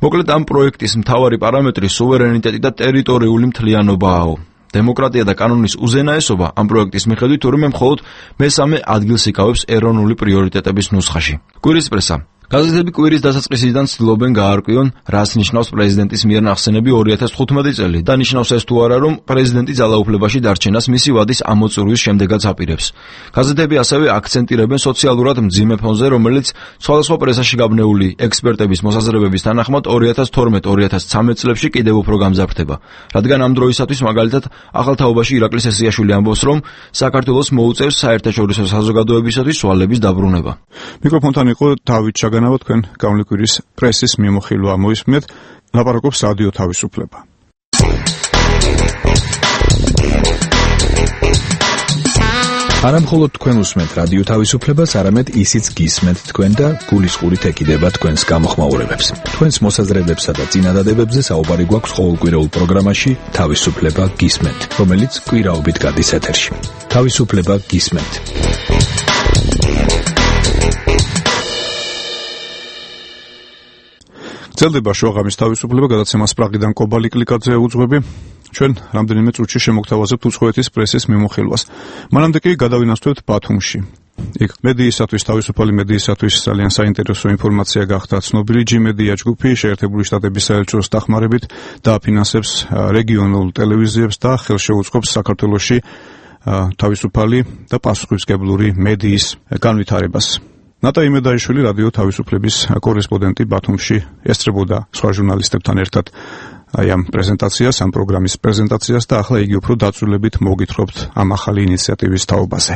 მოკლედ, ამ პროექტის მთავარი პარამეტრი სუვერენიტეტი და ტერიტორიული მთლიანობაა. დემოკრატია და კანონის უზენაესობა ამ პროექტის მიხედვით თურმე მხოლოდ მესამე ადგილს იკავებს ეროვნული პრიორიტეტების ნუსხაში. კვირის პრესა. გაზეთები კვირის დასაწყისიდან ცდილობენ გაარკვიონ, რას ნიშნავს პრეზიდენტის მიერ ნახსენები ორი ათას თხუთმეტი წელი და ნიშნავს ეს თუ არა, რომ პრეზიდენტი ძალაუფლებაში დარჩენას მისი ვადის ამოწურვის შემდეგაც აპირებს. გაზეთები ასევე აქცენტირებენ სოციალურად მძიმე ფონზე, რომელიც სხვადასხვა პრესაში გაბნეული ექსპერტების მოსაზრებების თანახმად ორი ათას თორმეტ ორი ათას ცხრამეტ წლებში კიდევ უფრო გამძაფრდება. რადგან ამ დროისათვის მაგალითად ახალ თაობაში ირაკლი სესიაშვილი ამბობს, რომ საქართველოს მოუწევს საერთაშორისო საზოგადოებისათვის სვალების დაბრუნება. მიკროფონთან იყო დავით ჩაგანავა, თქვენ გავლეკვირის პრესის მიმოხილვა მოისმენთ, ლაპარაკობს რადიო თავისუფლება. არა მხოლოდ თქვენ უსმენთ რადიო თავისუფლებას, არამედ ისიც გისმენთ თქვენ და გულისყურით ეკიდება თქვენს გამოხმაურებებს. თქვენს მოსაზრებებსა და წინადადებებზე საუბარი გვაქვს ყოველკვირეულ პროგრამაში თავისუფლება გისმენთ, რომელიც კვირაობით გადის ეთერში. თავისუფლება გისმენთ. გრძელდება შუაღამის თავისუფლება, გადაცემას პრაღიდან კობალი კლიკაძე უძღვები. ჩვენ რამდენიმე წუთში შემოგთავაზებთ უცხოეთის პრესის მიმოხილვას. მანამდე კი გადავინაცვლებთ ბათუმში. იქ მედიისათვის, თავისუფალი მედიისათვის ძალიან საინტერესო ინფორმაცია გახდა ცნობილი. ჯი მედია ჯგუფი შეერთებული შტატების საელჩოს დახმარებით დააფინანსებს რეგიონულ ტელევიზიებს და ხელშეუწყობს საქართველოში თავისუფალი და პასუხისმგებლური მედიის განვითარებას. ნატა იმედაიშვილი რადიო თავისუფლების კორესპონდენტი ბათუმში ესწრებოდა სხვა ჟურნალისტებთან ერთად აი ამ პრეზენტაციას, ამ პროგრამის პრეზენტაციას და ახლა იგი უფრო დაწვრილებით მოგითხრობთ ამ ახალი ინიციატივის თაობაზე.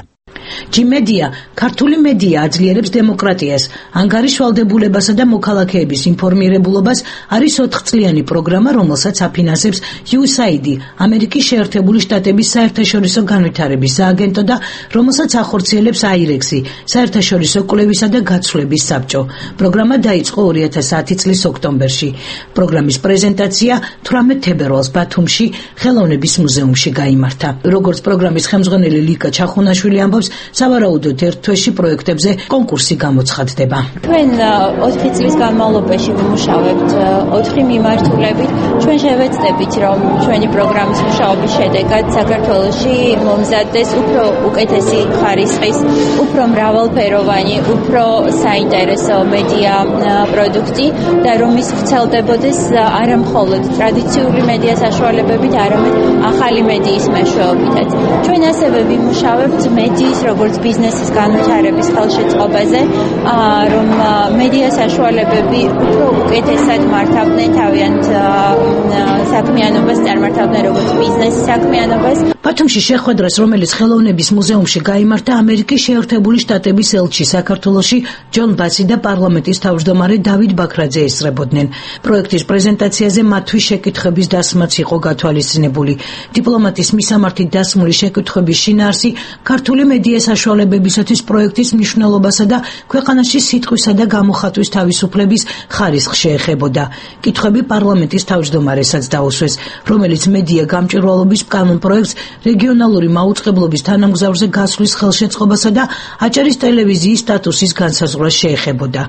ჯი მედია ქართული მედია აძლიერებს დემოკრატიას, ანგარიშ ვალდებულებასა და მოქალაქეების ინფორმირებულობას არის ოთხწლიანი პროგრამა, რომელსაც აფინანსებს იუ ეს აი დი, ამერიკის შეერთებული შტატების საერთაშორისო განვითარების სააგენტო და რომელსაც ახორციელებს აი რე ექს-ი, საერთაშორისო კვლევისა და გაცვლების საბჭო. პროგრამა დაიწყო ორი ათას ათი წლის ოქტომბერში. პროგრამის პრეზენტაცია თვრამეტ თებერვალს ბათუმში ხელოვნების მუზეუმში გაიმართა. როგორც პროგრამის ხელმძღვანელი ლიკა ჩახუნაშვილი ამბობს, სავარაუდოდ ერთ თვეში პროექტებზე კონკურსი გამოცხადდება. ჩვენ ოთხი წლის განმავლობაში ვიმუშავებთ ოთხი მიმართულებით. ჩვენ შევეცდებით, რომ ჩვენი პროგრამის მუშაობის შედეგად საქართველოში მომზადდეს უფრო უკეთესი ხარისხის, უფრო მრავალფეროვანი, უფრო საინტერესო მედია პროდუქტი და რომ ის ვრცელდებოდეს არა მხოლოდ ტრადიციული მედია საშუალებებით, არამედ ახალი მედიის მეშვეობითაც. ჩვენ ასევე ვიმუშავებთ მედიის როგორც ბიზნესის განვითარების ხელშეწყობაზე, რომ მედია საშუალებები უფრო უკეთესად მართავდნენ თავიანთ საქმიანობას, წარმართავდნენ როგორც ბიზნესის საქმიანობას. ბათუმში შეხვედრას, რომელიც ხელოვნების მუზეუმში გაიმართა, ამერიკის შეერთებული შტატების ელჩი საქართველოში ჯონ ბასი და პარლამენტის თავმჯდომარე დავით ბაქრაძე ესწრებოდნენ. პროექტის პრეზენტაციაზე მათთვის შეკითხების დასმაც იყო გათვალისწინებული. დიპლომატის მისამართით დასმული შეკითხვების შინაარსი ქართული მედია საშუალებებისათვის პროექტის მნიშვნელობასა და ქვეყანაში სიტყვისა და გამოხატვის თავისუფლების ხარისხს შეეხებოდა. კითხვები პარლამენტის თავმჯდომარესაც დაუსვეს, რომელიც მედია გამჭვირვალობის კანონ პროექტს რეგიონალური მაუწყებლობის თანამგზავრზე გასვლის ხელშეწყობასა და აჭარის ტელევიზიის სტატუსის განსაზღვრას შეეხებოდა.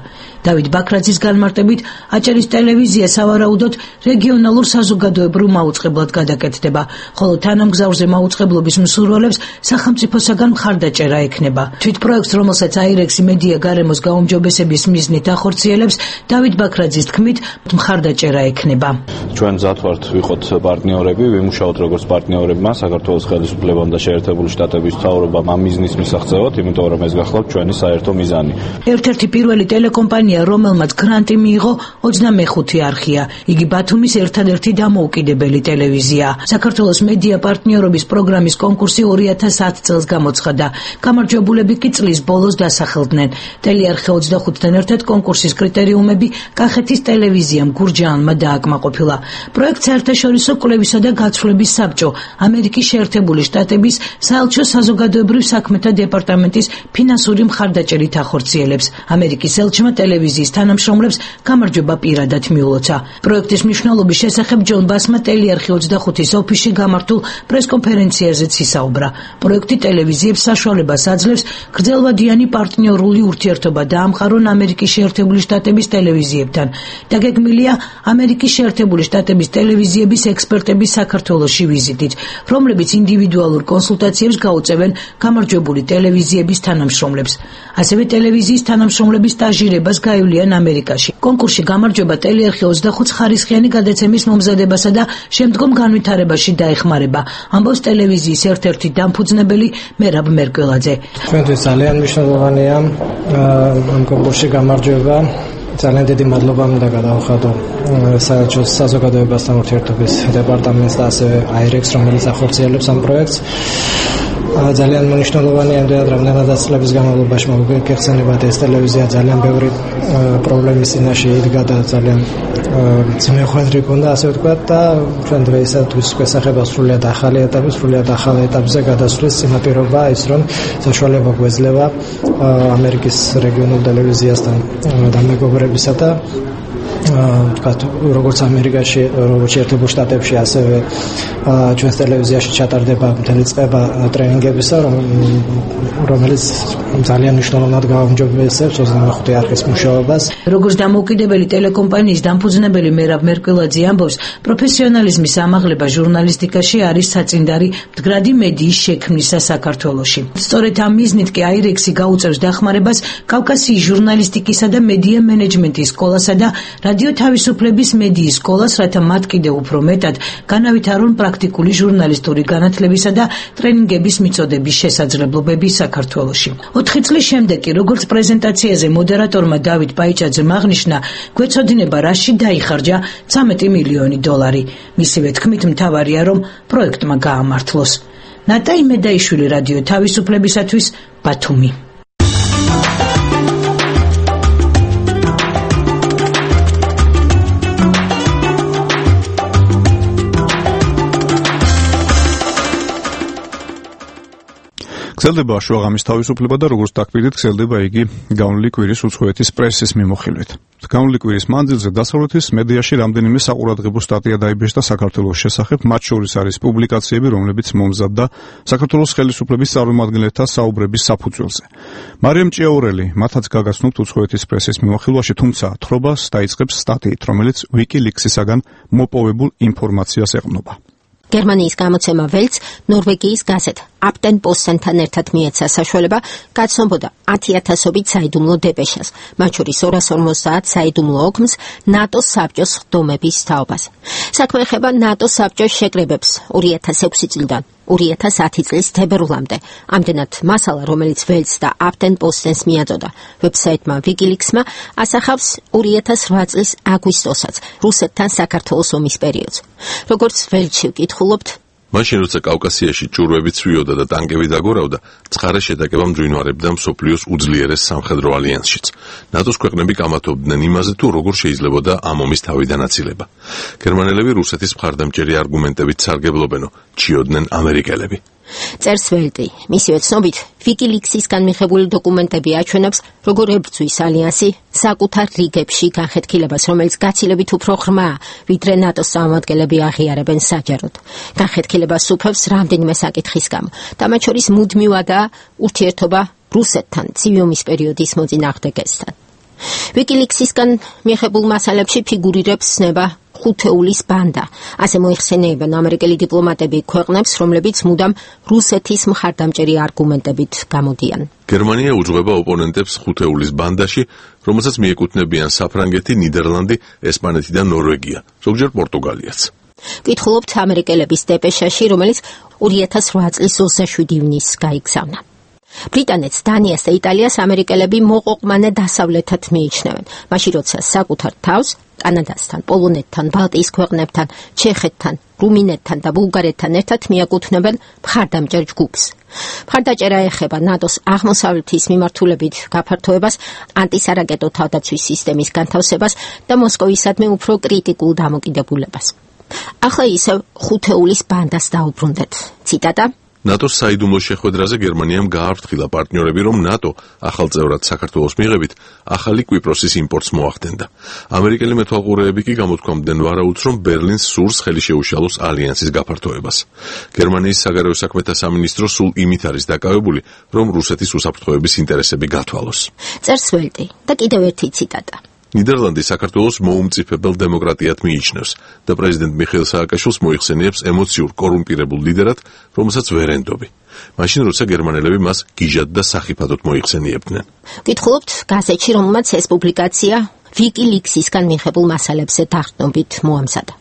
დავით ბაქრაძის განმარტებით, აჭარის ტელევიზია სავარაუდოდ რეგიონალურ საზოგადოებრივ მაუწყებლად გადაკეთდება, ხოლო თანამგზავრზე მაუწყებლობის მსურველებს სახელმწიფოსაგან მხარდაჭერა ექნება. თვით პროექტს, რომელსაც აი რე ექს-ი მედია გარემოს გაუმჯობესების მიზნით ახორციელებს, დავით ბაქრაძის თქმით, მხარდაჭერა ექნება. ჩვენ მზად ვართ ვიყოთ პარტნიორები, ვიმუშაოთ როგორც პარტნიორებმა საქართველოს ხელისუფლებამ და შეერთებული შტატების მთავრობამ ამ მიზნის მისაღწევად, იმიტომ რომ ეს გახლავთ ჩვენი საერთო მიზანი. ერთ-ერთი პირველი ტელეკომპანია, რომელმაც გრანტი მიიღო, ოცდამეხუთე არხია. იგი ბათუმის ერთადერთი დამოუკიდებელი ტელევიზია. საქართველოს მედია პარტნიორობის პროგრამის კონკურსი ორი ათას ათი წელს გამოცხადდა. გამარჯვებულები კი წლის ბოლოს დასახელდნენ. ტელეარხი ოცდახუთთან ერთად კონკურსის კრიტერიუმები კახეთის ტელევიზიამ გურჯაანმა დააკმაყოფილა. პროექტ საერთაშორისო კვლევისა და გაცვლების საბჭო, ამერიკის შეერთებული შტატების საელჩო საზოგადოებრივ საქმეთა დეპარტამენტის ფინანსური მხარდაჭერით ახორციელებს. ამერიკის ელჩმა ტელევიზიის თანამშრომლებს გამარჯვება პირადად მიულოცა. პროექტის მნიშვნელობის შესახებ ჯონ ბასმა ტელეარხი ოცდახუთის ოფისში გამართულ პრესკონფერენციაზეც ისაუბრა. პროექტი ტელევიზიებს საშუალებას აძლევს გრძელვადიანი პარტნიორული ურთიერთობა დაამყარონ ამერიკის შეერთებული შტატების ტელევიზიებთან და გეგმილია ამერიკის შეერთებული შტატების ტელევიზიების ექსპერტების საქართველოში ვიზიტით, რომლებიც ინდივიდუალურ კონსულტაციებს გაუწევენ გამარჯვებული ტელევიზიების თანამშრომლებს. ასევე ტელევიზიის თანამშრომლების სტაჟირებას გაივლიან ამერიკაში. კონკურსში გამარჯვება ტელეარხი ოცდახუთ ხარისხიანი გადაცემის მომზადებასა და შემდგომ განვითარებაში დაეხმარება, ამბობს ტელევიზიის ერთ-ერთი დამფუძნებელი მერაბ მერკველაძე. ჩვენთვის ძალიან მნიშვნელოვანია ამ კონკურსში გამარჯვება. ძალიან დიდი მადლობა მინდა გადავხადო საერთაშორისო საზოგადოებასთან ურთიერთობის დეპარტამენტს და ასევე აირექს, რომელიც ახორციელებს ამ პროექტს. ძალიან მნიშვნელოვანია იმდენად, რამდენადაც წლების განმავლობაში მოგეხსენებათ, ეს ტელევიზია ძალიან ბევრი პრობლემის წინაშე იდგა და ძალიან ძმეხვედრი ჰქონდა, ასე ვთქვათ, და ჩვენ დღეისათვის გვესახება სრულიად ახალი ეტაპი, სრულიად ახალ ეტაპზე გადასვლის წინაპირობა ის, რომ საშუალება გვეძლევა ამერიკის რეგიონულ ტელევიზიასთან დამეგობრებისა და ვთქვათ, როგორც ამერიკაში, როგორც შეერთებულ შტატებში, ასევე ჩვენს ტელევიზიაში ჩატარდება მთელი წება ტრენინგებისა, რომელიც ძალიან მნიშვნელოვნად გააუმჯობესებს ოცდამეხუთე არხის მუშაობას. როგორც დამოუკიდებელი ტელეკომპანიის დამფუძნებელი მერაბ მერკველაძე ამბობს, პროფესიონალიზმის ამაღლება ჟურნალისტიკაში არის საწინდარი მდგრადი მედიის შექმნისა საქართველოში. სწორედ ამ მიზნით კი აირექსი გაუწევს დახმარებას კავკასიის ჟურნალისტიკისა და მედია მენეჯმენტის სკოლასა და რადიო თავისუფლების მედიის სკოლას, რათა მათ კიდევ უფრო მეტად განავითარონ პრაქტიკული ჟურნალისტური განათლებისა და ტრენინგების მიწოდების შესაძლებლობები საქართველოში. ოთხი წლის შემდეგ კი, როგორც პრეზენტაციაზე მოდერატორმა დავით პაიჭაძემ აღნიშნა, გვეცოდინება რაში დაიხარჯა ცამეტი მილიონი დოლარი. მისივე თქმით, მთავარია, რომ პროექტმა გაამართლოს. ნატა იმედაიშვილი, რადიო თავისუფლებისათვის, ბათუმი. გრძელდება შუაღამის თავისუფლება და როგორც დაგკვირდით, გრძელდება იგი განვლილი კვირის უცხოეთის პრესის მიმოხილვით. განვლილი კვირის მანძილზე დასავლეთის მედიაში რამდენიმე საყურადღებო სტატია დაიბეჭდა საქართველოს შესახებ, მათ შორის არის პუბლიკაციები, რომლებიც მომზადდა საქართველოს ხელისუფლების წარმომადგენელთა საუბრების საფუძველზე. მარიამ ჭიაურელი მათაც გაგაცნობთ უცხოეთის პრესის მიმოხილვაში, თუმცა თხრობას დაიწყებს სტატიით, რომელიც ვიკილიქსისაგან მოპოვებულ ინფორმაციას ეყრდნობა. გერმანიის გამოცემა ველც ნორვეგიის გაზეთ აპტენ პოსტენთან ერთად მიეცა საშუალება გაცნობოდა ათი ათასობით საიდუმლო დეპეშას, მათ შორის ორას ორმოცდაათ საიდუმლო ოქმს ნატოს საბჭოს ხდომების თაობას. საქმე ეხება ნატოს საბჭოს შეკრებებს ორი ათას ექვსი წლიდან ორი ათას ათი წლის თებერვლამდე. ამდენად მასალა, რომელიც ველც და აპტენ პოსტენს მიაწოდა ვებსაიტმა ვიკილიქსმა, ასახავს ორი ათას რვა წლის აგვისტოსაც, რუსეთთან საქართველოს ომის პერიოდს. როგორც ველჩი ვკითხულობთ, მაშინ როცა კავკასიაში ჭურვები ცვიოდა და ტანკები დაგორავდა, ცხარე შეტაკება მძვინვარებდა მსოფლიოს უძლიერეს სამხედრო ალიანსშიც. ნატოს ქვეყნები კამათობდნენ იმაზე, თუ როგორ შეიძლებოდა ამ ომის თავიდან აცილება. გერმანელები რუსეთის მხარდამჭერი არგუმენტებით სარგებლობენო, ჩიოდნენ ამერიკელები. წერს ველტი. მისივე ცნობით, ვიკილიქსისგან მიღებული დოკუმენტები აჩვენებს, როგორ ებრძვის ალიანსი საკუთარ რიგებში განხეთქილებას, რომელიც გაცილებით უფრო ღრმაა, ვიდრე ნატოს წარმომადგენლები აღიარებენ საჯაროდ. განხეთქილებას უფევს რამდენიმე საკითხის გამო, და მათ შორის მუდმივადაა ურთიერთობა რუსეთთან ცივი ომის პერიოდის მოწინააღმდეგესთან. ვიკილიქსისგან მიღებულ მასალებში ფიგურირებს ცნება ხუთეულის ბანდა. ასე მოიხსენიებენ ამერიკელი დიპლომატები ქვეყნებს, რომლებიც მუდამ რუსეთის მხარდამჭერი არგუმენტებით გამოდიან. გერმანია უძღვება ოპონენტებს ხუთეულის ბანდაში, რომელსაც მიეკუთვნებიან საფრანგეთი, ნიდერლანდი, ესპანეთი და ნორვეგია, ზოგჯერ პორტუგალიაც. ვკითხულობთ ამერიკელების დეპეშაში, რომელიც ორი ათას რვა წლის ოცდაშვიდი ივნისს გაიგზავნა. ბრიტანეთს, დანიას და იტალიას ამერიკელები მოყოყმანე დასავლეთად მიიჩნევენ, მაშინ როცა საკუთარ თავს კანადასთან, პოლონეთთან, ბალტიის ქვეყნებთან, ჩეხეთთან, რუმინეთთან და ბულგარეთთან ერთად მიაკუთვნებენ მხარდამჭერ ჯგუფს. მხარდაჭერა ეხება ნატოს აღმოსავლეთის მიმართულებით გაფართოებას, ანტისარაკეტო თავდაცვის სისტემის განთავსებას და მოსკოვისადმი უფრო კრიტიკულ დამოკიდებულებას. ახლა ისევ ხუთეულის ბანდას დაუბრუნდეთ. ციტატა: ნატოს საიდუმლო შეხვედრაზე გერმანიამ გააფრთხილა პარტნიორები, რომ ნატო ახალ წევრად საქართველოს მიღებით ახალი კვიპროსის იმპორტს მოახდენდა. ამერიკელი მეთვალყურეები კი გამოთქვამდნენ ვარაუდს, რომ ბერლინს სურს ხელი შეუშალოს ალიანსის გაფართოებას. გერმანიის საგარეო საქმეთა სამინისტრო სულ იმით არის დაკავებული, რომ რუსეთის უსაფრთხოების ინტერესები გათვალოს. წერს ველტი და კიდევ ერთი ციტატა. ნიდერლანდი საქართველოს მოუმწიფებელ დემოკრატიად მიიჩნევს და პრეზიდენტ მიხეილ სააკაშვილს მოიხსენიებს ემოციურ კორუმპირებულ ლიდერად, რომელსაც ვერ ენდობი. მაშინ როცა გერმანელები მას გიჟად და სახიფათოდ მოიხსენიებდნენ. გითხულობთ გაზეთში, რომელმაც ეს პუბლიკაცია ვიკილიქსისგან მიღებულ მასალებზე დახდნობით მოამზადა.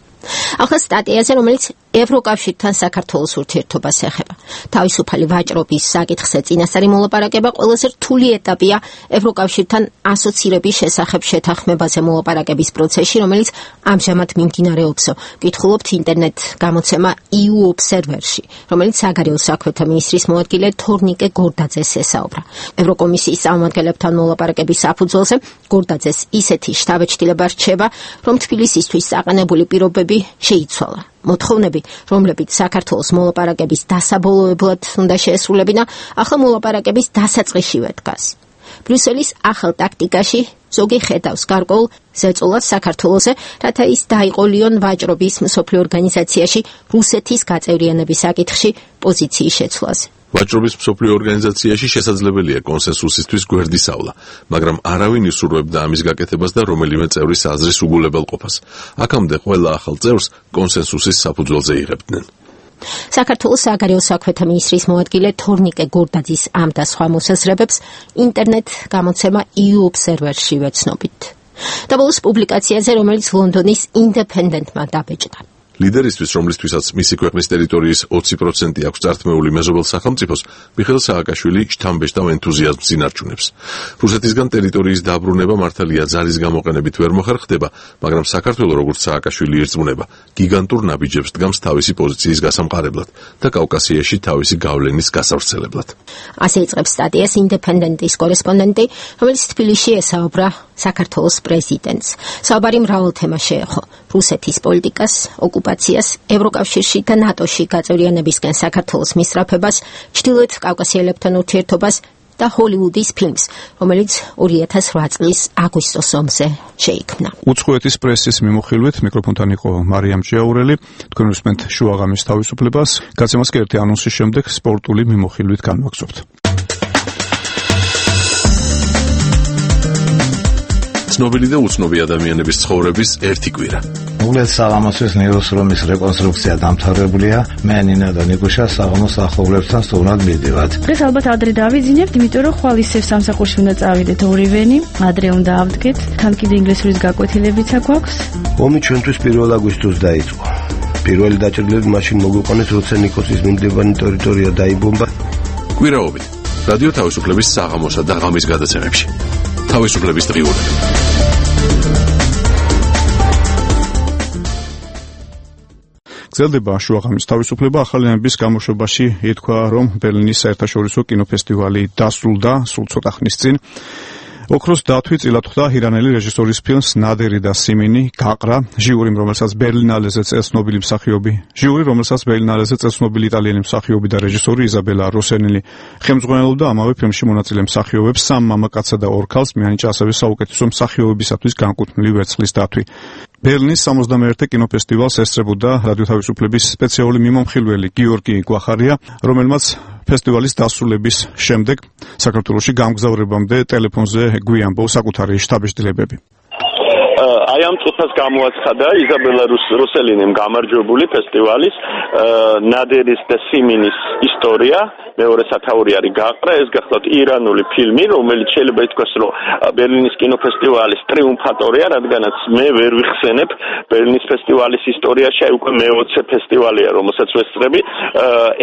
ახლა სტატიაზე, რომელიც ევროკავშირთან საქართველოს ურთიერთობას ეხება. თავისუფალი ვაჭრობის საკითხზე წინასწარი მოლაპარაკება ყველაზე რთული ეტაპია ევროკავშირთან ასოცირების შესახებ შეთანხმებაზე მოლაპარაკების პროცესში, რომელიც ამჟამად მიმდინარეობს. გითხულობთ ინტერნეტ გამოცემა ი იუ Observer-ში, რომელიც საგარეო საქმეთა მინისტრის მოადგილე თორნიკე გორდაძეს ესაუბრა. ევროკომისიის წარმომადგენლებთან მოლაპარაკების საფუძველზე გორდაძეს ისეთი შთაბეჭდილება რჩება, რომ თბილისისთვის საყენებული პირობები შეიცვალა. მოთხოვნები, რომლებიც საქართველოს მოლაპარაკების დასაბოლოებლად უნდა შეესრულებინა, ახლა მოლაპარაკების დასაწყისშივე დგას. ბრიუსელის ახალ ტაქტიკაში ზოგი ხედავს გარკვეულ ზეწოლას საქართველოზე, რათა ის დაიყოლიონ ვაჭრობის მსოფლიო ორგანიზაციაში რუსეთის გაწევრიანების საკითხში პოზიციის შეცვლაზე. ვაჭრობის მსოფლიო ორგანიზაციაში შესაძლებელია კონსენსუსისთვის გვერდისავლა, მაგრამ არავინ ისურვებდა ამის გაკეთებას და რომელიმე წევრის აზრის უგულებელყოფას. აქამდე ყველა ახალ წევრს კონსენსუსის საფუძველზე იღებდნენ. საქართველოს საგარეო საქმეთა მინისტრის მოადგილე თორნიკე გორდაძის ამ და სხვა მოსაზრებებს ინტერნეტ გამოცემა ი იუ Observer-ში ვეცნობით. და ბოლოს პუბლიკაციაზე, რომელიც ლონდონის Independent-მა დაბეჭდა. ლიდერისთვის, რომლისთვისაც მისი ქვეყნის ტერიტორიის ოცი პროცენტი აქვს წართმეული მეზობელ სახელმწიფოს, მიხეილ სააკაშვილი შთამბეჭ და ენთუზიაზმს ინარჩუნებს. რუსეთისგან ტერიტორიის დაბრუნება მართალია ძალის გამოყენებით ვერ მოხერხდება, მაგრამ საქართველო, როგორც სააკაშვილი ირწმუნება, გიგანტურ ნაბიჯებს დგამს თავისი პოზიციის გასამყარებლად და კავკასიაში თავისი გავლენის გასავრცელებლად. ასე იწყებს სტატიას Independent-ის კორესპონდენტი, რომელიც თბილისში ესაუბრა საქართველოს პრეზიდენტს. საუბარი მრავალ თემას შეეხო: რუსეთის პოლიტიკას, ოკუპაციას, ევროკავშირში და ნატოში გაწევრიანებისკენ საქართველოს მისწრაფებას, ჩრდილოეთ კავკასიელებთან ურთიერთობას და ჰოლივუდის ფილმს, რომელიც ორი ათას რვა წლის აგვისტოს ომზე შეიქმნა. უცხოეთის პრესის მიმოხილვით მიკროფონთან იყო მარიამ ჭიაურელი. თქვენ უსმენთ შუაღამის თავისუფლებას. გაცემას კი ერთი ანონსის შემდეგ სპორტული მიმოხილვით განვაგრძობთ. ცნობილი და უცნობი ადამიანების ცხოვრების ერთი კვირა. უგლეთ საღამოსის ნეიროსრომის რეკონსტრუქცია დამთავრებულია. მე ნინა და ნიკუშა საღამოს ახლობლებთან სტუმრად მივდივართ. დღეს ალბათ ადრე დავიძინებთ, იმიტომ რომ ხვალ ისევ სამსახურში უნდა წავიდეთ ორივენი, ადრე უნდა ავდგეთ. თან კიდე ინგლისურის გაკვეთილებიც აქვს. ომი ჩვენთვის პირველ აგვისტოს დაიწყო. პირველი დაჭრილები მაშინ მოგვიყვანეს, როცა ნიკოსის მიმდებარე ტერიტორია დაიბომბა. კვირაობით რადიო თავისუფლების საღამოსა და ღამის გადაცემებში. თავისუფლების დღიურები. გრძელდება შუაღამის თავისუფლება. ახალი ამბის გამოშვებაში ითქვა, რომ ბერლინის საერთაშორისო კინოფესტივალი დასრულდა სულ ცოტა ხნის წინ. ოქროს დათვი წილად ხვდა ირანელი რეჟისორის ფილმს ნადერი და სიმინი გაყრა. ჟიური, რომელსაც ბერლინალეზე წელს ცნობილი მსახიობი, ჟიური, რომელსაც ბერლინალეზე წელს ცნობილი იტალიელი მსახიობი და რეჟისორი იზაბელა როსენელი ხელმძღვანელობდა ამავე ფილმში მონაწილე მსახიობებს, სამ მამაკაცსა და ორ ქალს, მიანიჭა ასევე საუკეთესო მსახიობებისათვის განკუთვნილი ვერცხლის დათვი. ბერლინის სამოცდამეერთე კინოფესტივალს ესწრებოდა რადიო თავისუფლების სპეციალური მიმომხილველი გიორგი გვახარია, რომელმაც ფესტივალის დასრულების შემდეგ საქართველოში გამგზავრებამდე ტელეფონზე გვიამბო საკუთარი შთაბეჭდილებები. აი ამ წუთას გამოაცხადა იზაბელა როსელინიმ გამარჯვებული ფესტივალის ნადერის და სიმინის ისტორია. მეორე სათაური არის გაყრა. ეს გახლავთ ირანული ფილმი, რომელიც შეიძლება ითქვას, რომ ბერლინის კინოფესტივალის ტრიუმფატორია, რადგანაც მე ვერ ვიხსენებ ბერლინის ფესტივალის ისტორიაში აი უკვე მეოცე ფესტივალია, რომელსაც ვესწრები.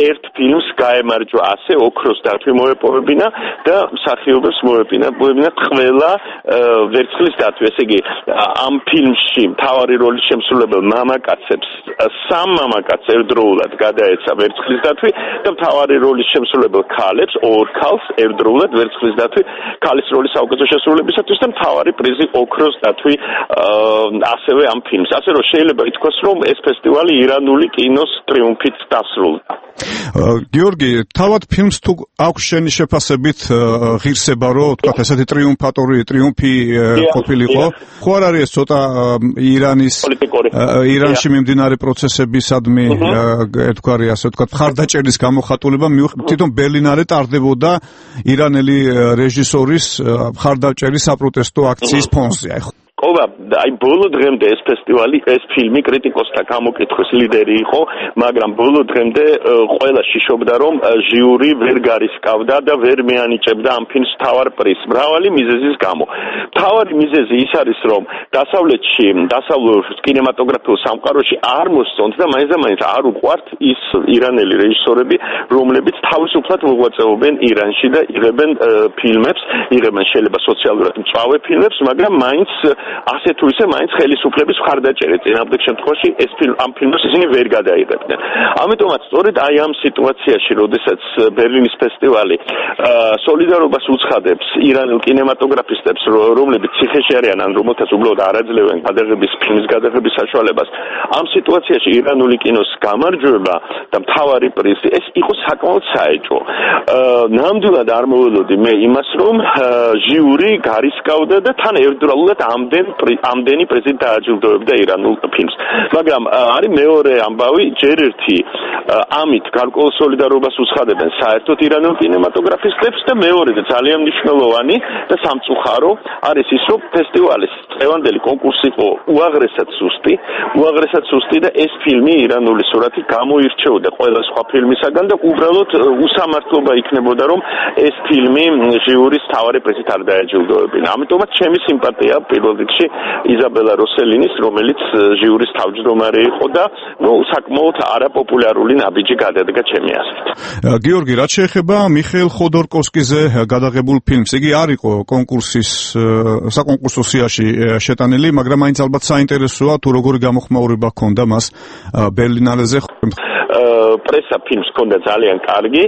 ერთ ფილმს გაემარჯვა ასე, ოქროს დათვი მოეპოვებინა და მსახიობებს მოეპოვებინა ყველა ვერცხლის დათვი. ესე იგი ამ ფილმში მთავარი როლის შემსრულებელ მამაკაცებს სამ მამაკაცს ერთდროულად გადაეცა ვერცხლის დათვი და მთავარი როლის შემსრულებელ ქალებს ორ ქალს ერთდროულად ვერცხლის დათვი ქალის როლის საუკეთესო შესრულებისათვის და მთავარი პრიზი ოქროს დათვი ასევე ამ ფილმს. ასე რომ შეიძლება ითქვას, რომ ეს ფესტივალი ირანული კინოს ტრიუმფით დასრულდა. გიორგი, თავად ფილმს თუ აქვს შენი შეფასებით ღირსება, რომ თქვა ესეთი ტრიუმფატორი ტრიუმფი ყოფილიყო, ხო არ არის ეს ცოტა ირანის ირანში მიმდინარე პროცესებისადმი ეთქვარი, ასე ვთქვათ, მხარდაჭერის გამოხატულება თვითონ ბერლინარე ტარდებოდა ირანელი რეჟისორის მხარდაჭერის საპროტესტო აქციის ფონზე, აი ხო? ობა, აი ბოლო დღემდე ეს ფესტივალი, ეს ფილმი კრიტიკოსთა გამოკითხვის ლიდერი იყო, მაგრამ ბოლო დღემდე ყველა შიშობდა, რომ ჟიური ვერ გარისკავდა და ვერ მეანიჭებდა ამ ფილმს მთავარ პრიზს, მრავალი მიზეზის გამო. მთავარი მიზეზი ის არის, რომ დასავლეთში, დასავლურ კინემატოგრაფიულ სამყაროში არ მოსწონთ და მაინც და მაინც არ უყვართ ის ირანელი რეჟისორები, რომლებიც თავისუფლად მოღვაწეობენ ირანში და იღებენ ფილმებს, იღებენ შეიძლება სოციალურად მწვავე ფილმებს, მაგრამ მაინც ასე თუ ისე მაინც ხელისუფლების მხარდაჭერით წინააღმდეგ შემთხვევაში ეს ფილმ ამ ფილმს ისინი ვერ გადაიღებდნენ. ამიტომაც სწორედ აი ამ სიტუაციაში, როდესაც ბერლინის ფესტივალი სოლიდარობას უცხადებს ირანელ კინემატოგრაფისტებს, რომლებიც ციხეში არიან ან რომელთაც უბრალოდ არ აძლევენ გადაღების ფილმის გადაღების საშუალებას, ამ სიტუაციაში ირანული კინოს გამარჯვება და მთავარი პრიზი ეს იყო საკმაოდ საეჭვო. ნამდვილად არ მოველოდი მე იმას, რომ ჟიური გარისკავდა და თან ერთდროულად ამდენ ამდენი პრეზიდენტი დააჯილდოებდა ირანულ ფილმს. მაგრამ არის მეორე ამბავი, ჯერ ერთი ამით გარკვეულ სოლიდარობას უცხადებენ საერთოდ ირანულ კინემატოგრაფისტებს და მეორე და ძალიან მნიშვნელოვანი და სამწუხარო არის ის, რომ ფესტივალის წლევანდელი კონკურსი იყო უაღრესად სუსტი, უაღრესად სუსტი და ეს ფილმი ირანული სურათი გამოირჩეოდა ყველა სხვა ფილმისაგან და უბრალოდ უსამართლობა იქნებოდა, რომ ეს ფილმი ჟიურის მთავარი პრიზით არ დააჯილდოებინა. ამიტომაც ჩემი სიმპათია პირველ რიგში იზაბელა როსელინის, რომელიც ჟიურის თავმჯდომარე იყო და ნუ საკმაოდ არაპოპულარული ნაბიჯი გადადგა ჩემი აზრით. გიორგი, რაც შეეხება მიხეილ ხოდორკოვსკიზე გადაღებულ ფილმს, იგი არ იყო კონკურსის საკონკურსო სიაში შეტანილი, მაგრამ მაინც ალბათ საინტერესოა თუ როგორი გამოხმაურება ჰქონდა მას ბერლინალეზე. პრესა ფილმს ჰქონდა ძალიან კარგი,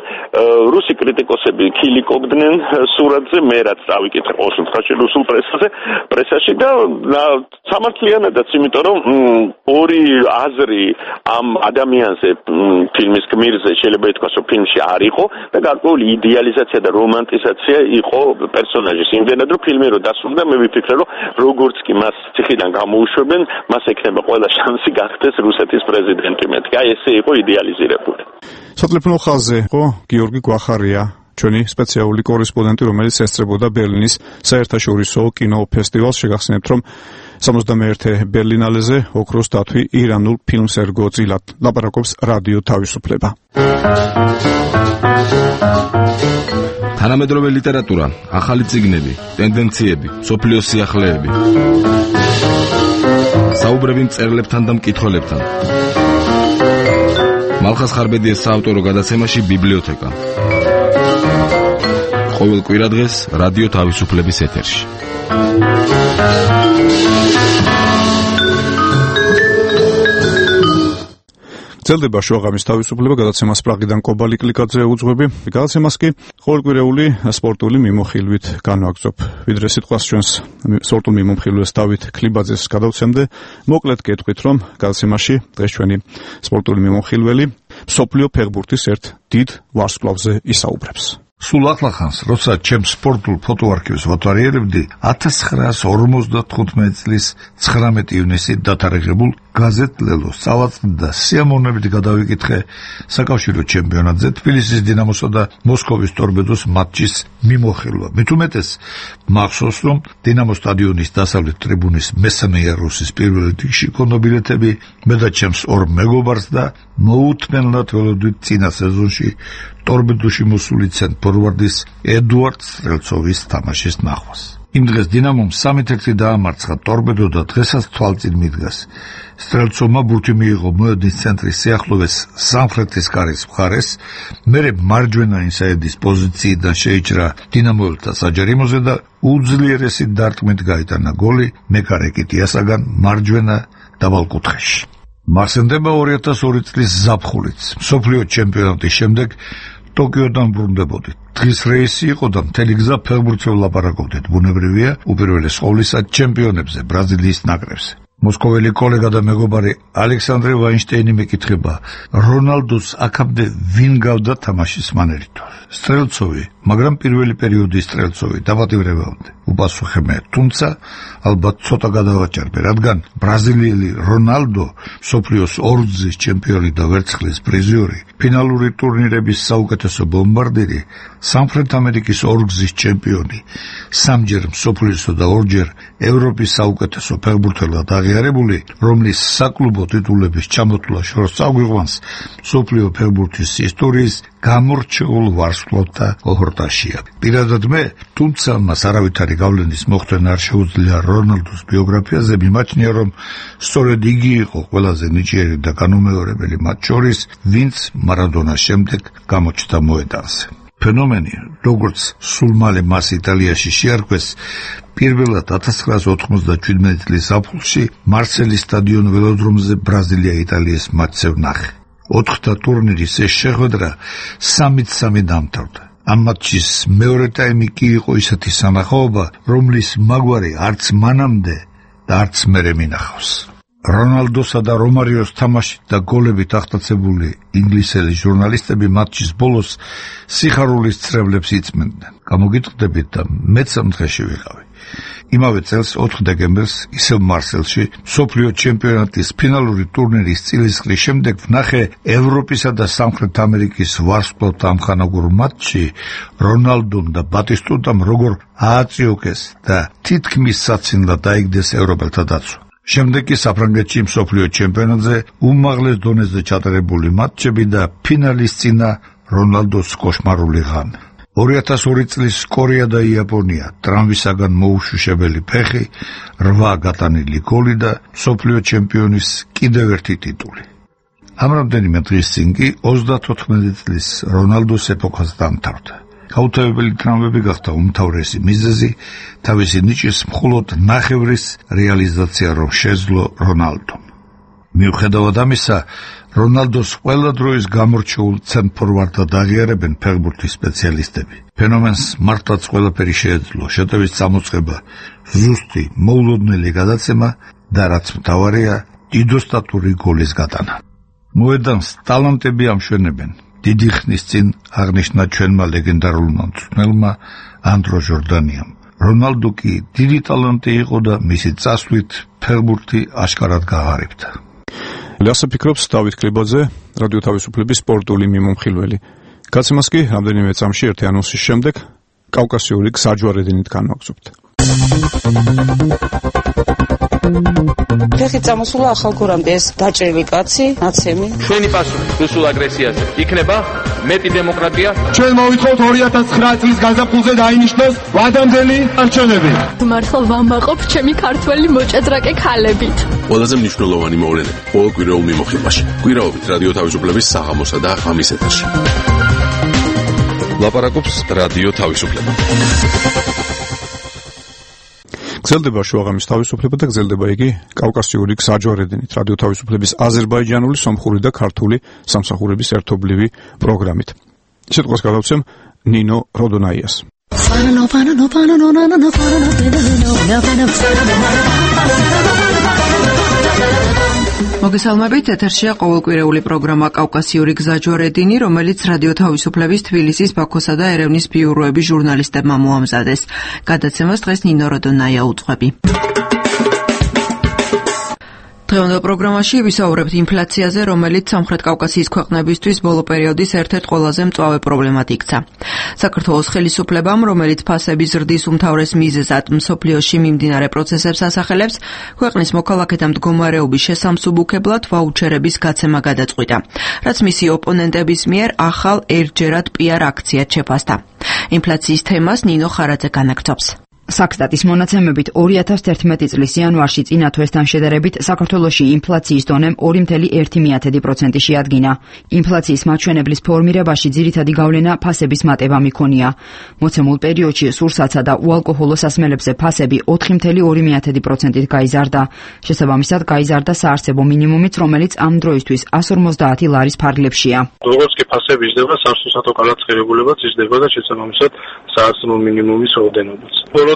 რუსი კრიტიკოსები ქილიკობდნენ სურათზე, მე რაც დავიკითხე ყოველ შემთხვევაში რუსულ პრესაზე, პრესაში და სამართლიანადაც, იმიტომ რომ ორი აზრი ამ ადამიანზე ფილმის გმირზე შეიძლება ითქვას, რომ ფილმში არ იყო და გარკვეული იდეალიზაცია და რომანტიზაცია იყო პერსონაჟის. იმდენად რომ ფილმი რო დასრულდა, მე ვიფიქრე, რომ როგორც კი მას ციხიდან გამოუშვებენ, მას ექნება ყველა შანსი გახდეს რუსეთის პრეზიდენტი. მეთქი, აი ესე იყო იდეალიზირებული. სატელეფონო ხაზზე ხო გიორგი გვახარია, ჩვენი სპეციალური კორესპონდენტი, რომელიც ესწრებოდა ბერლინის საერთაშორისო კინოფესტივალს. შეგახსენებთ, რომ სამოცდამეერთე ბერლინალეზე ოქროს დათვი ირანულ ფილმს ერგო წილად ლაპარაკობს რადიო თავისუფლება. თანამედროვე ლიტერატურა, ახალი წიგნები, ტენდენციები, სოფლიოს სიახლეები. საუბრები მწერლებთან და მკითხველებთან. მალხას ხარბედიას საავტორო გადაცემაში ბიბლიოთეკა. ყოველ კვირადღეს რადიო თავისუფლების ეთერში. გრძელდება შუაღამის თავისუფლება, გადაცემას პრაღიდან კობალი კლიკაძე უძღვები. გადაცემას კი ყოველკვირეული სპორტული მიმოხილვით განვაგრძობ. ვიდრე სიტყვას ჩვენს სპორტულ მიმოხილვეს დავით ქლიბაძეს გადავცემდე, მოკლედ გეტყვით, რომ გადაცემაში დღეს ჩვენი სპორტული მიმოხილველი მსოფლიო ფეხბურთის ერთ დიდ ვარსკვლავზე ისაუბრებს. სულ ახლახანს, როცა ჩემს სპორტულ ფოტოარქივს ვათვალიერებდი, ათას ცხრაასი ორმოცდათხუთმეტი წლის ცხრამეტი ივნისით დათარიღებულ გაზეთ ლელოს წავაწყდი და სიამოვნებით გადავიკითხე საკავშირო ჩემპიონატზე თბილისის დინამოსა და მოსკოვის ტორპედოს მატჩის მიმოხილვა. მით უმეტეს მახსოვს, რომ დინამოს სტადიონის დასავლეთ ტრიბუნის მესამე იარუსის პირველ რიგში ქონდა ბილეთები, მე და ჩემს ორ მეგობარს და მოუთმენლად ველოდვით წინა სეზონში ტორპედოში მოსული ცენტრ-ფორვარდის ედუარდ სტრელცოვის თამაშის ნახვას. იმ დღეს დინამომ სამით ერთი დაამარცხა ტორპედო და დღესაც თვალწინ მიდგას. სტრელცოვმა ბურთი მიიღო მოედნის ცენტრის სიახლოვეს სამხრეთის კარის მხარეს, მერე მარჯვენა ინსაიდის პოზიციიდან შეიჭრა დინამოელთა საჯარიმოზე და უძლიერესი დარტყმით გაიტანა გოლი მეკარე კიტიასაგან მარჯვენა დაბალკუთხეში. მახსენდება ორი ათას ორი წლის ზაფხულიც, მსოფლიო ჩემპიონატის შემდეგ ტოკიოდან ბრუნდებოდით. დღის რეისი იყო და მთელი გზა ფეხბურთზე ვლაპარაკობდით. ბუნებრივია, უპირველეს ყოვლისა ჩემპიონებზე, ბრაზილიის ნაკრებზე. მოსკოველი კოლეგა და მეგობარი ალექსანდრე ვაინშტეინი მეკითხება, რონალდოს აქამდე ვინ გავდა თამაშის მანერით? სტრელცოვი, მაგრამ პირველი პერიოდის სტრელცოვი დაპატიმრებამდე. უპასუხე, თუმცა ალბათ ცოტა გადავაჭერბე, რადგან ბრაზილიელი რონალდო, მსოფლიოს ორგზის ჩემპიონი და ვერცხლის პრიზიორი, ფინალური ტურნირების საუკეთესო ბომბარდირი, სამხრეთ ამერიკის ორგზის ჩემპიონი, სამჯერ მსოფლიოსო და ორჯერ ევროპის საუკეთესო ფეხბურთელად აღიარებული, რომლის საკლუბო ტიტულების ჩამოთვლა შორს წაგვიყვანს მსოფლიო ფეხბურთის ისტორიის გამორჩეულ ვარსკვლავთა ოჰორტაშია. პირადად მე, თუმცა მას არავითარი გავლენის მოხდენა არ შეუძლია რონალდოს ბიოგრაფიაზე, მიმაჩნია, რომ სწორედ იგი იყო ყველაზე ნიჭიერი და განუმეორებელი მათ შორის, ვინც მარადონას შემდეგ გამოჩნდა მოედანზე. ფენომენი, როგორც სულ მალე მას იტალიაში შეარქვეს, პირველად ათას ცხრაას ოთხმოცდაჩვიდმეტი წლის ზაფხულში მარსელის სტადიონ ველოდრომზე ბრაზილია-იტალიის მატჩზე ვნახე. ოთხთა ტურნირის ეს შეხვედრა სამით სამი დამთავრდა. ამ მატჩის მეორე ტაიმი კი იყო ისეთი სანახაობა, რომლის მაგვარი არც მანამდე და არც მერე მინახავს. რონალდოსა და რომარიოს თამაშით და გოლებით აღტაცებული ინგლისელი ჟურნალისტები მატჩის ბოლოს სიხარულის ცრებლებს იწმენდნენ. გამოგიტყდებით და მეც ამ დღეში ვიყავი. იმავე წელს ოთხ დეკემბერს ისევ მარსელში მსოფლიო ჩემპიონატის ფინალური ტურნირის წილისყრის შემდეგ ვნახე ევროპისა და სამხრეთ ამერიკის ვარსკვლავთა ამხანაგურ მატჩში რონალდომ და ბატისტუტამ როგორ ააწიოკეს და თითქმის საცინლად დაიგდეს ევროპელთა დაცვა. შემდეგ კი საფრანგეთში მსოფლიო ჩემპიონატზე უმაღლეს დონეზე ჩატარებული მატჩები და ფინალის წინა რონალდოს კოშმარული ღამე. ორი ათას ორი წლის კორეა და იაპონია, ტრამვისაგან მოუშუშებელი ფეხი, რვა გატანილი გოლი და მსოფლიო ჩემპიონის კიდევ ერთი ტიტული. ამ რამდენიმე დღის წინ კი ოცდათოთხმეტი წლის რონალდოს ეპოქას დამთავრდა. გაუთავებელი ტრამვები გახდა უმთავრესი მიზეზი, თავისი ნიჭის მხოლოდ ნახევრის რეალიზაცია რომ შეძლო რონალდომ. მიუხედავად ამისა, რონალდოს ყველა დროის გამორჩეულ ცენტრფორვარდად აღიარებენ ფეხბურთის სპეციალისტები. ფენომენს მართლაც ყველაფერი შეეძლო, შეტევის წამოწყება, ზუსტი მოულოდნელი გადაცემა და რაც მთავარია, დიდოსტატური გოლის გატანა. მოედანს ტალანტები ამშვენებენ. დიდი ხნის წინ აღნიშნა ჩვენმა ლეგენდარულმა მწვრთნელმა ანდრო ჟორდანიამ. რონალდო კი დიდი ტალანტი იყო და მისი წასვლით ფეხბურთი აშკარად გააღარიბდა. ასე ფიქრობს დავით კრიბაძე, რადიო თავისუფლების სპორტული მიმომხილველი. გაცემას კი რამდენიმე წამში ერთი ანონსის შემდეგ კავკასიური გზაჯვარედინით განვაგრძობთ. ფეხით წამოსულა ახალგორამდე ეს დაჭრილი კაცი, ნაცემი. ჩვენი პასუხი რუსულ აგრესიაზე იქნება მეტი დემოკრატია. ჩვენ მოვითხოვთ ორი ათას ცხრა წლის გაზაფხულზე დაინიშნოს ვადამდელი არჩევნები. მართლა ვამაყობ ჩემი ქართველი მოჭადრაკე ქალებით. ყველაზე მნიშვნელოვანი მოვლენები ყოველ კვირაულ მიმოხილვაში. კვირაობით რადიო თავისუფლების საღამოსა და ღამის ეთერში. ლაპარაკობს რადიო თავისუფლება. გრძელდება შუაღამის თავისუფლება და გრძელდება იგი კავკასიური გზაჯვარედინით რადიო თავისუფლების აზერბაიჯანული, სომხური და ქართული სამსახურების ერთობლივი პროგრამით. სიტყვას გადავცემ ნინო როდონაიას. მოგესალმებით, ეთერშია ყოველკვირეული პროგრამა კავკასიური გზაჯვარედინი, რომელიც რადიო თავისუფლების თბილისის, ბაქოსა და ერევნის ბიუროების ჟურნალისტებმა მოამზადეს. გადაცემას დღეს ნინო როდონაია უძღვები. დღევანდელ პროგრამაში ვისაუბრებთ ინფლაციაზე, რომელიც სამხრეთ კავკასიის ქვეყნებისთვის ბოლო პერიოდის ერთ-ერთ ყველაზე მწვავე პრობლემად იქცა. საქართველოს ხელისუფლებამ, რომელიც ფასების ზრდის უმთავრეს მიზეზად მსოფლიოში მიმდინარე პროცესებს ასახელებს, ქვეყნის მოქალაქეთა მდგომარეობის შესამსუბუქებლად ვაუჩერების გაცემა გადაწყვიტა, რაც მისი ოპონენტების მიერ ახალ ერთჯერად პიარ აქციად შეფასდა. ინფლაციის თემას ნინო ხარაძე განაგრძობს. საქსტატის მონაცემებით ორი ათას ერთმეტი წლის იანვარში წინა თვესთან შედარებით საქართველოში ინფლაციის დონემ ორი კoma ერთი პროცენტი შეადგინა. ინფლაციის მაჩვენებლის ფორმირებაში ძირითადი გავლენა ფასების მატებამ იქონია. მოცემულ პერიოდში სურსათსა და უალკოჰოლო სასმელებზე ფასები ოთხი კoma ორი პროცენტით გაიზარდა. შესაბამისად გაიზარდა საარსებო მინიმუმიც, რომელიც ამ დროისთვის εκατს ორმოცდაათი ლარის ფარგლებშია. როგორც კი ფასები იზრდება, სამსახურსათო განაცხადებულებაც იზრდება და შესაბამისად საარსებო მინიმუმის რაოდენობაც.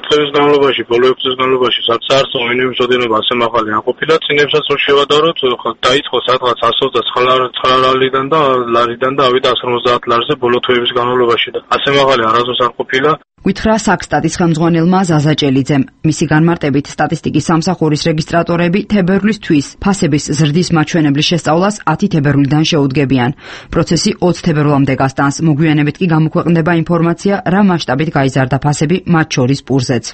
დღეების განმავლობაში, ბოლო ექვსი წლის განმავლობაში, სადაც საარსებო მინიმუმის ოდენობა ასე მაღალი არ ყოფილა, წინებსაც რომ შევადაროთ, დაიწყო სადღაც εκ ოცდაოთხ ლარიდან და ლარიდან და ავიდა εκ ორმოცდაათ ლარზე ბოლო თვეების განმავლობაში და ასე მაღალი არასდროს არ ყოფილა. გითხრა საქსტატის ხელმძღვანელმა ზაზა ჭელიძემ. მისი განმარტებით სტატისტიკის სამსახურის რეგისტრატორები თებერვლის თვის ფასების ზრდის მაჩვენებლის შესწავლას ათი თებერვლიდან შეუდგებიან. პროცესი ოცი თებერვლამდე გასტანს. მოგვიანებით კი გამოქვეყნდება ინფორმაცია, რა მასშტაბით გაიზარდა ფასები, მათ შორის პურზეც.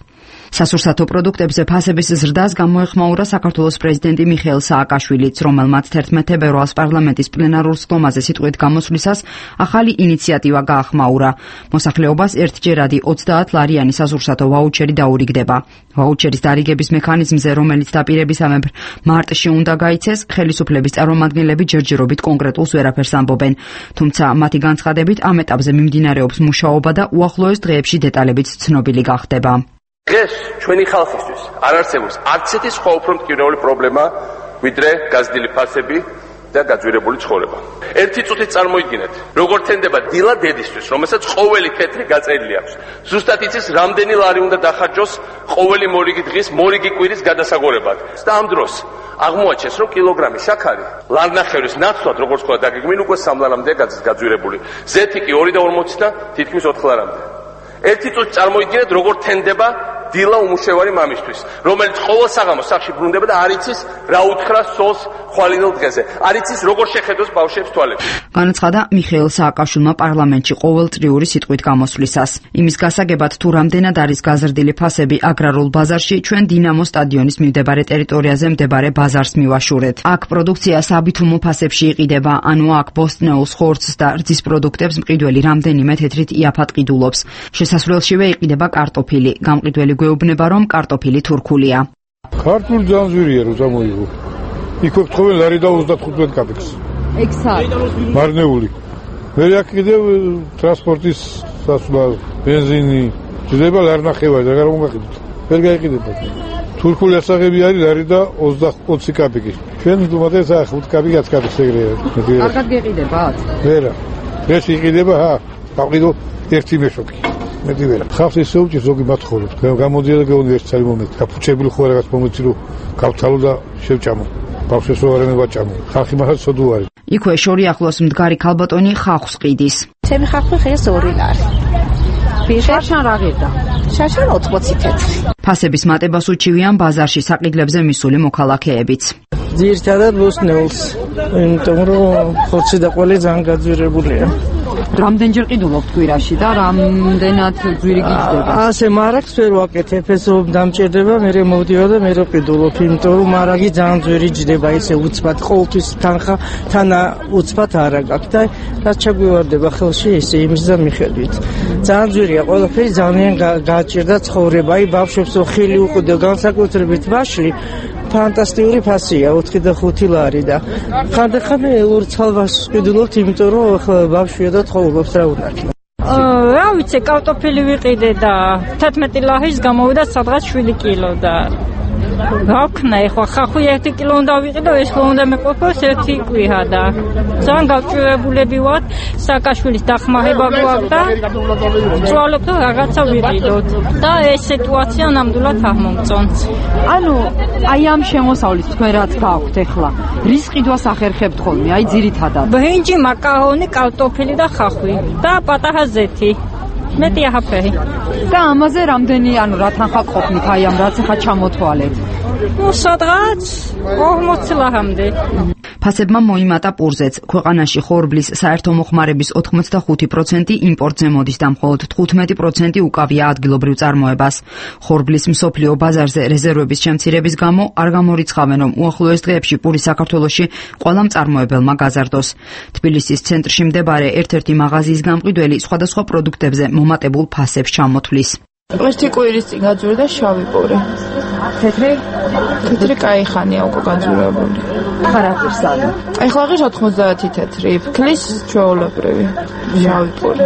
სასურსათო პროდუქტებზე ფასების ზრდას გამოეხმაურა საქართველოს პრეზიდენტი მიხეილ სააკაშვილიც, რომელმაც თერთმეტ თებერვალს პარლამენტის პლენარულ სხდომაზე სიტყვით გამოსვლისას ახალი ინიციატივა გაახმაურა. მოსახლეობას ერთჯერადი ოცდაათ ლარიანი სასურსათო ვაუჩერი დაურიგდება. ვაუჩერის დარიგების მექანიზმზე, რომელიც დაპირებისამებრ მარტში უნდა გაიცეს, ხელისუფლების წარმომადგენლები ჯერჯერობით კონკრეტულს ვერაფერს ამბობენ. თუმცა მათი განცხადებით ამ ეტაპზე მიმდინარეობს მუშაობა და უახლოეს დღეებში დეტალებიც ცნობილი გახდება. დღეს ჩვენი ხალხისთვის არ არსებობს არც ერთი სხვა უფრო მტკივნეული პრობლემა, ვიდრე გაზრდილი ფასები და გაძვირებული ცხოვრება. ერთი წუთით წარმოიდგინეთ, როგორ თენდება დილა დედისთვის, რომელსაც ყოველი თეთრი გაწერილი აქვს. ზუსტად იცის, რამდენი ლარი უნდა დახარჯოს ყოველი მორიგი დღის, მორიგი კვირის გადასაგორებლად. და ამ დროს აღმოაჩენს, რომ კილოგრამი შაქარი ლარნახევრის ნაცვლად, როგორც თქვა, დაგეგმინ უკვე სამ ლარამდე გაძვირებული. ზეთი კი ორი და ორმოცი და თითქმის ოთხ ლარამდე. ერთი წუთით წარმოიდგინეთ, როგორ თენდება დილა უმუშევარი მამისთვის, რომელიც ყოველ საღამოს სახლში ბრუნდება და არ იცის რა უთხრა სოლს ხვალინელ დღეზე. არ იცის როგორ შეხედოს ბავშვებს თვალებში. განაცხადა მიხეილ სააკაშვილმა პარლამენტში ყოველწლიური სიტყვით გამოსვლისას. იმის გასაგებად, თუ რამდენად არის გაზრდილი ფასები აგრარულ ბაზარში, ჩვენ დინამო სტადიონის მიმდებარე ტერიტორიაზე მდებარე ბაზარს მივაშურეთ. აქ პროდუქცია საბითუმო ფასებში იყიდება, ანუ აქ ბოსტნეულს, ხორცს და რძის პროდუქტებს მყიდველი რამდენიმე თეთრით იაფად ყიდულობს. შესასვლელშივე იყიდება კარტოფილი. გამყიდველი გვეუბნება, რომ კარტოფილი თურქულია. ქართული ძანძვირია რო გამოიღო. იქ ვეთხოვენ ლარი და ოცდათხუთმეტ კაპიკს. ექსად. მარნეული. მე აქ კიდევ ტრანსპორტის სასულა, ბენზინი, ძდება ლარნახევარი და რა მომაყიდოთ. ვერ გაიყიდება. თურქული ასაღები არის ლარი და ოცი კაპიკი. ჩვენ თუმცა ხუთ კაპიკი ათი კაპიკს ეგრეა. კარგად გეყიდებათ? ვერა. ეს იყიდება, ჰა, გავყიდო ერთი მეშოკი. მეტი ვერა. ხალხს ისე უჭირს ზოგი მათხოვებს. გამოდია და გეუბნები ერთ წელი მომენტ. გაფუჩებული ხო რაღაც მომენტი რომ გავთალო და შევჭამო. ბავშვებს რო არ მევაჭამო. ხალხი მაგას სოდუ არის. იქვე შორი ახლოს მდგარი ქალბატონი ხახვის ყიდის. ჩემი ხახვი ხეს ორი ლარი. შარშან რა ღირდა? შარშან ოცდაოთხი თეთრი. ფასების მატებას უჩივიან ბაზარში საყიდლებზე მისული მოქალაქეებიც. ძირითადად ბოსტნეულს, იმიტომ რომ ხორცი და ყველი ძალიან გაძვირებულია. რამდენჯერ ყიდულობთ კვირაში და რამდენად ძვირი გიძდება? ასე მარაგს ვერ ვაკეთებ, ეს დამჭირდება, მე მოვდიო და მე ყიდულობ, იმიტომ რომ მარაგი ძალიან ძვირი ჯდება, ისე უცბად ყოველთვის თანხა თანა უცბად არა გაქვს და რაც ჩაგვივარდება ხელში, ესე იმის და მიხედვით. ძალიან ძვირია ყველაფერი, ძალიან გააჭირდა ცხოვრება, აი ბავშვებს ხილი უყიდო, განსაკუთრებით ვაშლი ფანტასტიკური ფასია, ოთხი და ხუთი ლარი და ხანდახან ორ ცალვას ყიდულობთ, იმიტომ რომ ბავშვია და ცხოვრობს რა უნდა იქნება. რა ვიცი, კარტოფილი ვიყიდე და თერთმეტი ლარის გამოვიდა სადღაც შვიდი კილო და გავქნა ეხლა ხახვი ერთი კილო უნდა ვიყიდო, ეს ხო უნდა მეყოფოს ერთი კვირა და ძალიან გავჭირებულები ვართ, სააკაშვილის დახმარება გვაქვს და ვცვალობთ რომ რაღაცა ვიყიდოთ და ეს სიტუაცია ნამდვილად არ მომწონს. ანუ აი ამ შემოსავლის თქვენ რაც გაქვთ ეხლა, რის ყიდვას ახერხებთ ხოლმე, აი ძირითადად? ბრინჯი, მაკარონი, კარტოფილი და ხახვი და პატარა ზეთი. მეტი აღაფერი. და ამაზე რამდენი, ანუ რა თანხა ყოფნით აი ამ რაც ახლა ჩამოთვალეთ? ნუ სადღაც ორმოცი ლარამდე. ფასებმა მოიმატა პურზეც. ქვეყანაში ხორბლის საერთო მოხმარების ოთხმოცდახუთი პროცენტი იმპორტზე მოდის და მხოლოდ თხუთმეტი პროცენტი უკავია ადგილობრივ წარმოებას. ხორბლის მსოფლიო ბაზარზე რეზერვების შემცირების გამო არ გამორიცხავენ, რომ უახლოეს დღეებში პური საქართველოში ყველა მწარმოებელმა გაზარდოს. თბილისის ცენტრში მდებარე ერთ-ერთი მაღაზიის გამყიდველი სხვადასხვა პროდუქტებზე მომატებულ ფასებს ჩამოთვლის. ერთი კვირის წინ გაძვირდა შავი პური. თეთრი? თეთრი კაი ხანია უკვე გაძვირებული. ხარაფერს არის. ეხლა ღირს ოთხმოცდაათი თეთრი, ფქლის ჩვეულებრივი, შავი პური.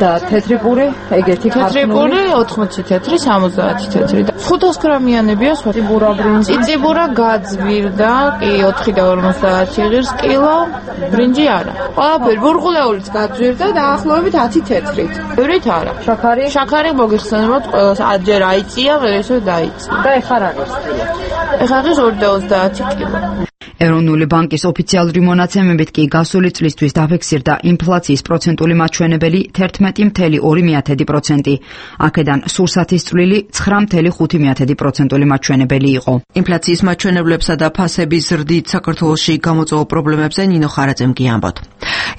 და თეთრი პური, ეგეთი ქართული. თეთრი პური ოთხმოცი თეთრი, სამოცდაათი თეთრი. ხუთას გრამიანებია სხვა. ციბურა ბრინჯი. ციბურა გაძვირდა, კი ოთხი და ორმოცდაათი ღირს კილო, ბრინჯი არა. ყველაფერი ბურღულეულიც გაძვირდა დაახლოებით ათი თეთრით. ევრით არა. შაქარი? შაქარი მოგიხსენებათ ყველას აჯერ აიწია, ვერ ესე დაიწია. და ეხლა რა ღირს კილო? ეხლა ღირს ორი და ოცდაათი კილო. ეროვნული ბანკის ოფიციალური მონაცემებით კი გასული წლისთვის დაფიქსირდა ინფლაციის პროცენტული მაჩვენებელი თერთმეტი ფاصლე ორი პროცენტი. აქედან სურსათის წვლილი ცხრა ფاصლე ხუთი პროცენტული მაჩვენებელი იყო. ინფლაციის მაჩვენებლებსა და ფასების ზრდით საქართველოში გამოწვეულ პრობლემებზე ნინო ხარაძემ გიამბოთ.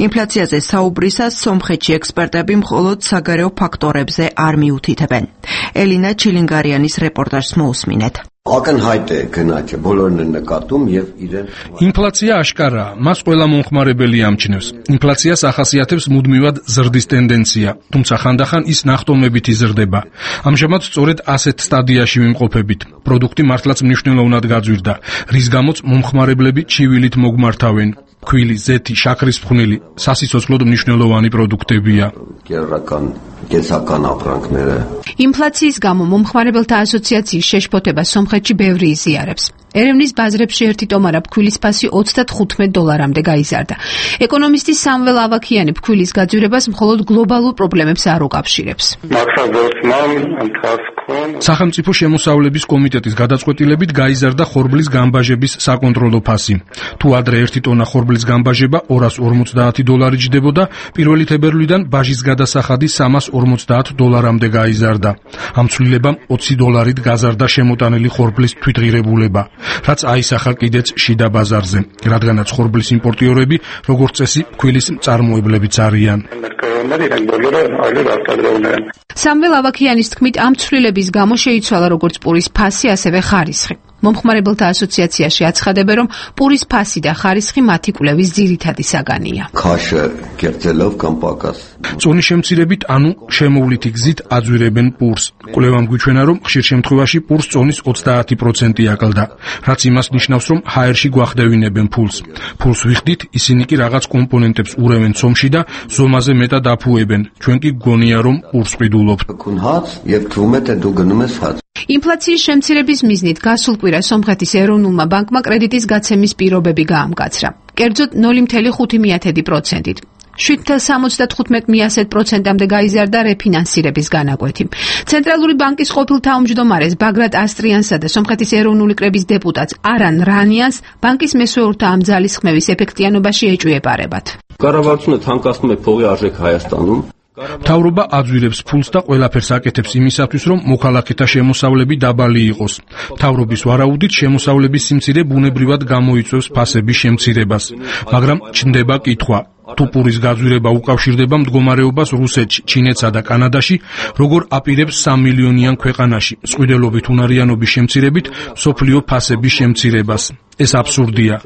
ინფლაციაზე საუბრისას სომხეთში ექსპერტები მხოლოდ საგარეო ფაქტორებზე არ მიუთითებენ. ელინა ჩილინგარიანის რეპორტაჟს მოусმინეთ. აკენჰაიტე გენაჩე ბოლორნენ ნაკატუმ եւ იდენ ინფლაცია აშკარაა, მას ყველა მომხმარებელი ამჩნევს. ინფლაციას ახასიათებს მუდმივად ზრდის ტენდენცია, თუმცა ხანდახან ის ნახტომებით იზრდება. ამჟამად სწორედ ასეთ სტადიაში ვიმყოფებით. პროდუქტი მართლაც მნიშვნელოვნად გაძვირდა, რის გამოც მომხმარებლები ჩივილით მოგმართავენ. ქვილი, ზეთი, შაქრის ფხვნილი სასიცოცხლოდ მნიშვნელოვანი პროდუქტებია. კერაკან გესაკან აფრანკნერე ინფლაციის გამო მომხმარებელთა ასოციაციის შეშფოთება სომხეთში ბევრი იზიარებს. ერევნის ბაზრებში ერთი ტომარა ფქვილის ფასი ოცდათხუთმეტ დოლარამდე გაიზარდა. ეკონომისტი სამվել ავაქიანი ფქვილის გაძვირებას მხოლოდ გლობალურ პრობლემებს არ უკავშირებს. სახელმწიფო შემოსავლების კომიტეტის გადაწყვეტილებით გაიზარდა ხორბლის გამბაჟების საკონტროლო ფასი. თუ ადრე ერთი ტონა ხორბლის გამბაჟება ორას ორმოცდაათი დოლარი ჯდებოდა, პირველი თებერვლიდან ბაჟის გადასახადი სამას ორმოცდაათ დოლარამდე გაიზარდა. ამ ცვლილებამ ოცი დოლარით გაზარდა შემოტანილი ხორბლის თვითღირებულება, რაც აისახა კიდეც შიდა ბაზარზე, რადგანაც ხორბლის იმპორტიორები, როგორც წესი, ფქვილის მწარმოებლებიც არიან. სამվել ავაქიანის თქმით, ამ ცვლილების გამო შეიცვალა როგორც პურის ფასი, ასევე ხარისხი. მომხმარებელთა ასოციაციაში აცხადებენ, რომ პურის ფასი და ხარისხი მათი კვლევის ძირითადი საგანია. ქაშე კერტელով კამპაკას. წონის შემცირებით, ანუ შემოვლითი გზით აძვირებენ პურს. კვლევამ გვიჩვენა, რომ ხშირ შემთხვევაში პურს წონის ოცდაათი პროცენტი აკლდა, რაც იმას ნიშნავს, რომ ჰაერში გვახდევინებენ ფულს. ფულს ვიხდით, ისინი კი რაღაც კომპონენტებს ურევენ ცომში და ზომაზე მეტად აფუებენ. ჩვენ კი გგონია, რომ პურს ყიდულობთ. ინფლაციის შემცირების მიზნით გასულ კვირას სომხეთის ეროვნულმა ბანკმა კრედიტის გაცემის პირობები გაამკაცრა. კერძოდ ნული ფاصლე ხუთი პროცენტით. შვიდ ფაصლე სამოცდათხუთმეტ პროცენტამდე გაიზარდა რეფინანსირების განაკვეთი. ცენტრალური ბანკის ყოფილ თავმჯდომარეს ბაგრატ ასტრიანსა და სომხეთის ეროვნული კრების დეპუტატს არან რანიანს ბანკის მესვეურთა ამ ძალისხმევის ეფექტიანობაში ეჭვიებარებათ. Կառավարությունը թանկացնում է փողի արժեք Հայաստանում. მთავრობა აძვირებს ფულს და ყველაფერს აკეთებს იმისათვის, რომ მოქალაქეთა შემოსავლები დაბალი იყოს. მთავრობის ვარაუდით შემოსავლების სიმცირე ბუნებრივად გამოიწვევს ფასების შემცირებას, მაგრამ ჩნდება კითხვა. თუ პურის გაძვირება უკავშირდება მდგომარეობას რუსეთში, ჩინეთსა და კანადაში, როგორ აპირებს სამმილიონიან ქვეყანაში მსხვიდელობით უნარიანობის შემცირებით მსოფლიო ფასების შემცირებას. ეს აბსურდია.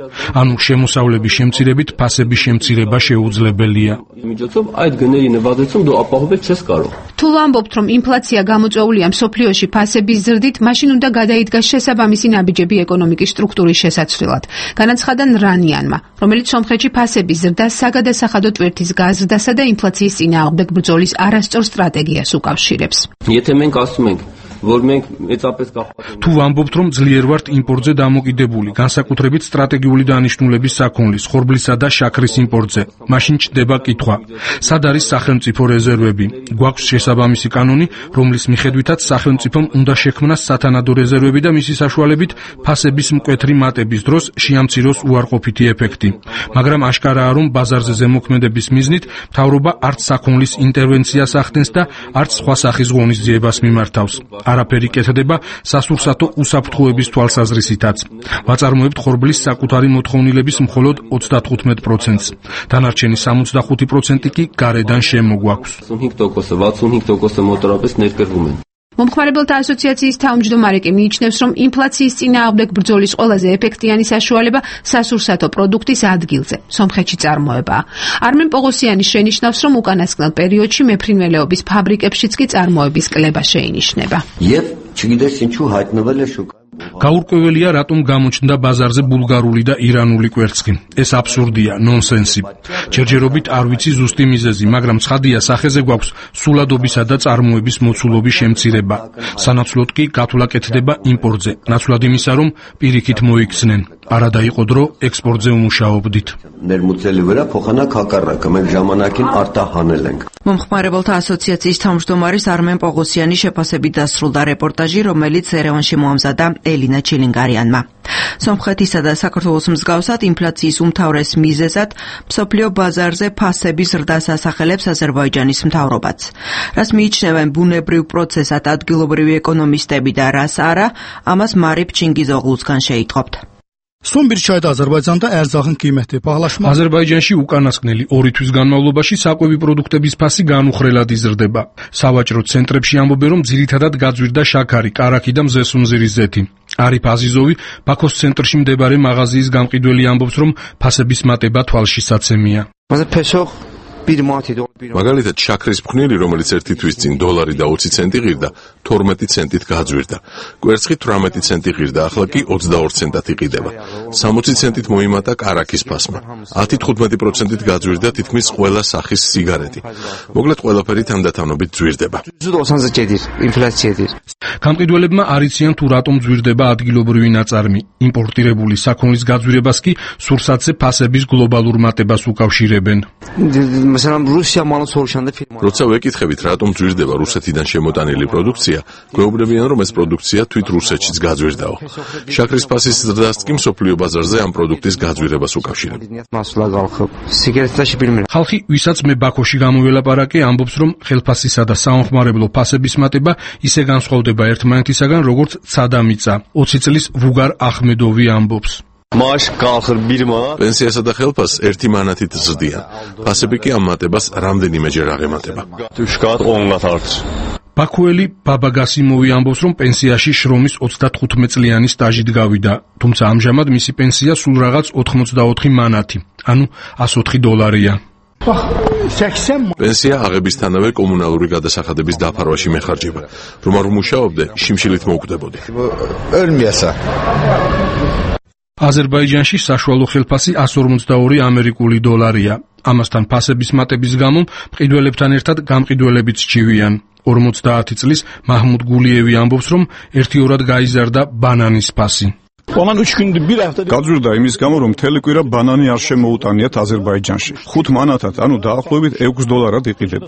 ანუ შემოსავლების შემცირებით ფასების შემცირება შეუძლებელია. միջոցով այդ գների նվազեցում դու ապահովել չես կարող. თუ ვამბობთ, რომ ინფლაცია გამოწვეულია მსოფლიოში ფასების ზრდით, მაშინ უნდა გადაიდგას შესაბამისი ნაბიჯები ეკონომიკის სტრუქტურის შესაცვლელად. განაცხადა რანიანმა, რომელიც სომხეთში ფასების ზრდას საგადასახადო ტვირთის გაზრდასა და ინფლაციის წინააღმდეგ ბრძოლის არასწორ სტრატეგიას უკავშირებს. եթե մենք ասում ենք որ մենք მეწապես გახვალ თუ ვამბობთ, რომ ძლიერ ვართ იმპორტზე დამოკიდებული, განსაკუთრებით სტრატეგიული დანიშნულების საქონლის, ხორბლისა და შაქრის იმპორტზე, მაშინ ჩნდება კითხვა: სად არის სახელმწიფო რეზერვები? გვაქვს შესაბამისი კანონი, რომლის მიხედვითაც სახელმწიფომ უნდა შექმნას სათანადო რეზერვები და მისი საშუალებით ფასების მკვეთრი მატების დროს შეამციროს უარყოფითი ეფექტი. მაგრამ აშკარაა, რომ ბაზარზე ზემოქმედების მიზნით მთავრობა არც საქონლის ინტერვენციას ახდენს და არც სხვა სახის ღონისძიებას მიმართავს. არაფერი კეთდება სასურსათო უსაფრთხოების თვალსაზრისითაც. ვაწარმოებთ ხორბლის საკუთარი მოთხოვნილების მხოლოდ ოცდათხუთმეტ პროცენტს. დანარჩენი სამოცდახუთი პროცენტი კი გარედან შემოგვაქვს. ოცდათხუთმეტ პროცენტი მოტორապես ներկրվում են. მომხმარებელთა ასოციაციის თავმჯდომარე კი მიიჩნევს, რომ ინფლაციის წინააღმდეგ ბრძოლის ყველაზე ეფექტიანი საშუალება სასურსათო პროდუქტის ადგილზე, სომხეთში წარმოებაა. არმენ პოღოსიანი შენიშნავს, რომ უკანასკნელ პერიოდში მეფრინველეობის ფაბრიკებშიც კი წარმოების კლება შეინიშნება. Եվ Չգիտես ինչու հայտնվել է շուկա გაურკვეველია რატომ გამოჩნდა ბაზარზე ბულგარული და ირანული კვერცხი. ეს აბსურდია, ნონსენსი. ჯერჯერობით არ ვიცი ზუსტი მიზეზი, მაგრამ ცხადია სახეზე გვაქვს სულადობისა და წარმოების მოცულობის შემცირება. სანაცვლოდ კი გათვლა კეთდება იმპორტზე. ნაცვლად იმისა, რომ პირიქით მოიქცნენ. არა დაიყო დრო ექსპორტზე უმუშაობდით. ներմուծելի վրա փոխանակ հակառակը մենք ժամանակին արտահանել ենք. მომხმარებელთა ასოციაციის თავმჯდომარის არმენ პოღოსიანი შეფასებით დასრულდა რეპორტაჟი, რომელიც ერევანში მოამზადა ელინა ჩილინგარიანმა. სომხეთისა და საქართველოს მსგავსად ინფლაციის უმთავრეს მიზეზად მსოფლიო ბაზარზე ფასების ზრდას ასახელებს აზერბაიჯანის მთავრობაც. რას მიიჩნევენ ბუნებრივ პროცესად ადგილობრივი ეკონომისტები და რას არა, ამას მარიფ ჩინგიზოღლუცგან შეიტყობთ. Son bir çayda Azərbaycanda ərzağın qiyməti bahalaşmaq. აზერბაიჯანში უკანასკნელი ორი თვის განმავლობაში საკვები პროდუქტების ფასი განუხრელად იზრდება. სავაჭრო ცენტრებში ამბობენ, რომ ძირითადად გაძვირდა შაქარი, კარაქი და მზესუმზირის ზეთი. არიფ აზიზოვი ბაქოს ცენტრში მდებარე მაღაზიის გამყიდველი ამბობს, რომ ფასების მატება თვალშისაცემია. მაგალითად შაქრის ფხვნილი, რომელიც ერთი თვის წინ დოლარი და ოცი ცენტი ღირდა, თორმეტი ცენტით გაძვირდა. კვერცხი თვრამეტი ცენტი ღირდა, ახლა კი ოცდაორი ცენტად იყიდება. სამოცი ცენტით მოიმატა კარაქის ფასმა. ათი თხუთმეტი პროცენტით გაძვირდა თითქმის ყველა სახის სიგარეტი. მოკლედ ყველაფერი თანდათანობით ძვირდება. გამყიდველებმა არ იციან თუ რატომ ძვირდება ადგილობრივი ნაწარმი. იმპორტირებული საქონლის გაძვირებას კი სურსათზე ფასების გლობალურ მატებას უკავშირებენ. როცა ვეკითხებით, რატომ ძვირდება რუსეთიდან შემოტანილი პროდუქცია, გვეუბნებიან, რომ ეს პროდუქცია თვით რუსეთშიც გაძვირდაო. შაქრის ფასის ზრდას კი მსოფლიო ბაზარზე ამ პროდუქტის გაძვირებას უკავშირებენ. ხალხი, ვისაც მე ბაქოში გამოველაპარაკე, ამბობს, რომ ხელფასისა და საომხმარებლო ფასების მატება ისე განსხვავდება ერთმანეთისაგან, როგორც ცადა მიწა. ოცი წლის ვუგარ ახმედოვი ამბობს. პენსიასა და ხელფასს ერთი მანათით ზრდიან. ფასები კი ამ მატებას რამდენიმეჯერ აღემატება. ბაქუელი ბაბა გასიმოვი ამბობს, რომ პენსიაში შრომის ოცდათხუთმეტ წლიანი სტაჟით გავიდა, თუმცა ამჟამად მისი პენსია სულ რაღაც ოთხმოცდაოთხი მანათი, ანუ ასი ოთხი დოლარია. პენსია აღებისთანავე კომუნალური გადასახადების დაფარვაში მეხარჯება. რომ არ უმუშაობდე, შიმშილით მოუკვდებოდი. აზერბაიჯანში საშუალო ხელფასი ასი ორმოცდაორი ამერიკული დოლარია. ამასთან ფასების მატების გამო მყიდველებთან ერთად გამყიდველებიც სჩივიან. ორმოცდაათი წლის მაჰმუდ გულიევი ამბობს, რომ ერთიორად გაიზარდა ბანანის ფასი. გაძვირდა იმის გამო, რომ მთელი კვირა ბანანი არ შემოუტანიათ აზერბაიჯანში. ხუთ მანათად, ანუ დაახლოებით ექვს დოლარად იყიდება.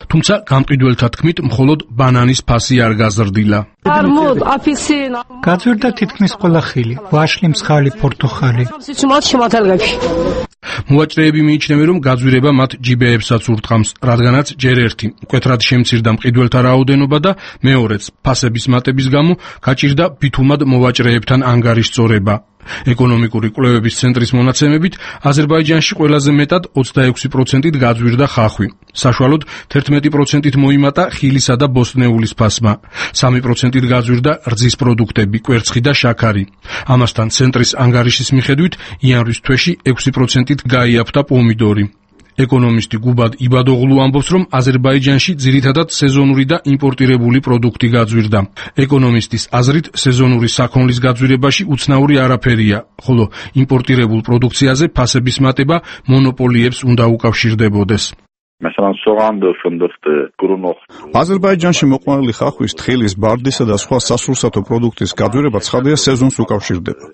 თუმცა გამყიდველთა თქმით, მხოლოდ ბანანის ფასი არ გაზრდილა. გაძვირდა თითქმის ყველა ხილი, ვაშლი, მსხალი, პორტოხალი. მოვაჭრეები მიიჩნევენ, რომ გაძვირება მათ ჯიბეებსაც ურტყამს, რადგანაც ჯერ ერთი მკვეთრად შემცირდა მყიდველთა რაოდენობა და მეორეც ფასების მატების გამო გაჭირდა ბითუმად მოვაჭრეებთან ანგარიშწორება. ეკონომიკური კვლევების ცენტრის მონაცემებით, აზერბაიჯანში ყველაზე მეტად ოცდაექვსი პროცენტით გაძვირდა ხახვი. საშუალოდ თერთმეტი პროცენტით მოიმატა ხილისა და ბოსტნეულის ფასმა. სამი პროცენტით გაძვირდა რძის პროდუქტები, კვერცხი და შაქარი. ამასთან ცენტრის ანგარიშის მიხედვით, იანვრის თვეში ექვსი პროცენტით გაიაფთა პომიდორი. ეკონომისტი გუბად იბადოღლუ ამბობს, რომ აზერბაიჯანში ძირითადად სეზონური და იმპორტირებული პროდუქტი გაძვირდა. ეკონომისტის აზრით, სეზონური საქონლის გაძვირებაში უცნაური არაფერია, ხოლო იმპორტირებულ პროდუქციაზე ფასების მატება მონოპოლიებს უნდა უკავშირდებოდეს. აზერბაიჯანში მოყვანილი ხახვის, თხილის, ბარდისა და სხვა სასურსათო პროდუქტის გაძვირება ცხადია სეზონს უკავშირდება.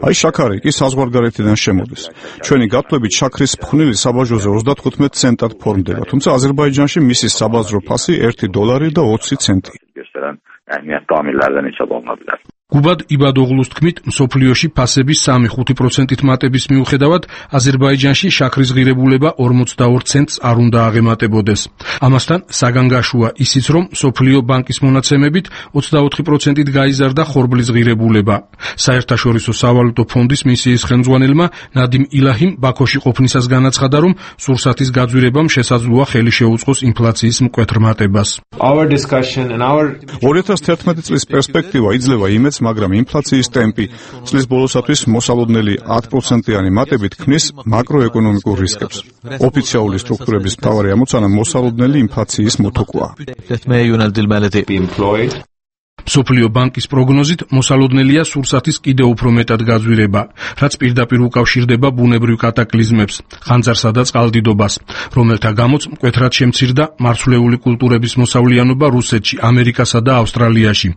აი შაქარი კი საზღვარგარეთიდან შემოდის. ჩვენი გათვლებით შაქრის ფხვნილი საბაჟოზე ოცდათხუთმეტ ცენტად ფორმდება, თუმცა აზერბაიჯანში მისი საბაზრო ფასი ერთი დოლარი და ოცი ცენტი. გუბად იბადოღლუს თქმით, მსოფლიოში ფასების სამი-ხუთი პროცენტით მატების მიუხედავად, აზერბაიჯანში შაქრის ღირებულება ორმოცდაორ ცენტს არ უნდა აღემატებოდეს. ამასთან საგანგაშოა ისიც, რომ მსოფლიო ბანკის მონაცემებით ოცდაოთხი პროცენტით გაიზარდა ხორბლის ღირებულება. საერთაშორისო სავალუტო ფონდის მისიის ხელმძღვანელმა ნადიმ ილაჰიმ ბაქოში ყოფნისას განაცხადა, რომ სურსათის გაძვირებამ შესაძლოა ხელი შეუწყოს ინფლაციის მკვეთრ მატებას. ორი ათას თერთმეტი წლის პერსპექტივა იძლევა იმედს, მაგრამ ინფლაციის ტემპი წლის ბოლოსათვის მოსალოდნელი ათ პროცენტიანი მატებით ქმნის მაკროეკონომიკურ რისკებს. ოფიციალური სტრუქტურების მთავარი ამოცანა მოსალოდნელი ინფლაციის მოთოკვაა. მსოფლიო ბანკის პროგნოზით მოსალოდნელია სურსათის კიდევ უფრო მეტად გაძვირება, რაც პირდაპირ უკავშირდება ბუნებრივ კატაკლიზმებს, ხანძარსა და წყალდიდობას, რომელთა გამოც მკვეთრად შემცირდა მარცვლეული კულტურების მოსავლიანობა რუსეთში, ამერიკასა და ავსტრალიაში.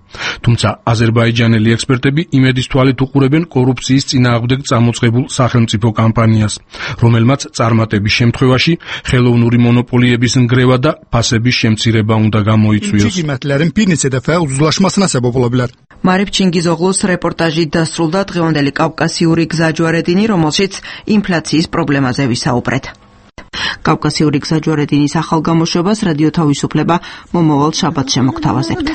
თუმცა აზერბაიჯანელი ექსპერტები იმედის თვალით უყურებენ კორუფციის წინააღმდეგ წამოწყებულ სახელმწიფო კამპანიას, რომელმაც წარმატების შემთხვევაში ხელოვნური მონოპოლიების ნგრევა და ფასების შემცირება უნდა გამოიწვიოს. მარიფ ჩინგიზოღლუს რეპორტაჟით დასრულდა დღევანდელი კავკასიური გზაჯვარედინი, რომელშიც ინფლაციის პრობლემაზე ვისაუბრეთ. კავკასიური გზაჯვარედინის ახალ გამოშვებას რადიო თავისუფლება მომავალ შაბათს შემოგთავაზებთ.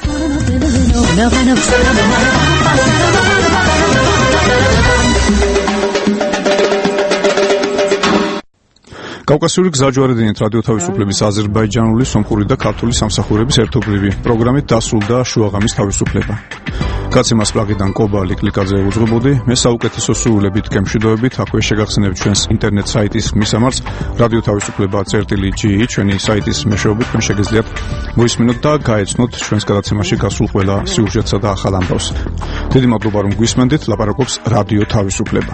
კავკასიური გზაჯვარედინით რადიო თავისუფლების აზერბაიჯანული, სომხური და ქართული სამსახურების ერთობლივი პროგრამით დასრულდა შუაღამის თავისუფლება. გაცემას პლაგიდან კობალი კლიკაძე უძღვებოდი, მე საუკეთესო სურვილებით გემშვიდობებით, აქვე შეგახსენებთ ჩვენს ინტერნეტ საიტის მისამართს რადიო თავისუფლება წერტილი ჯი ჩვენი საიტის მეშვეობით თქვენ შეგიძლიათ მოისმინოთ და გაეცნოთ ჩვენს გადაცემაში გასულ ყველა სიუჟეტსა და ახალ ამბავს. დიდი მადლობა რომ გვისმენდით, ლაპარაკობს რადიო თავისუფლება.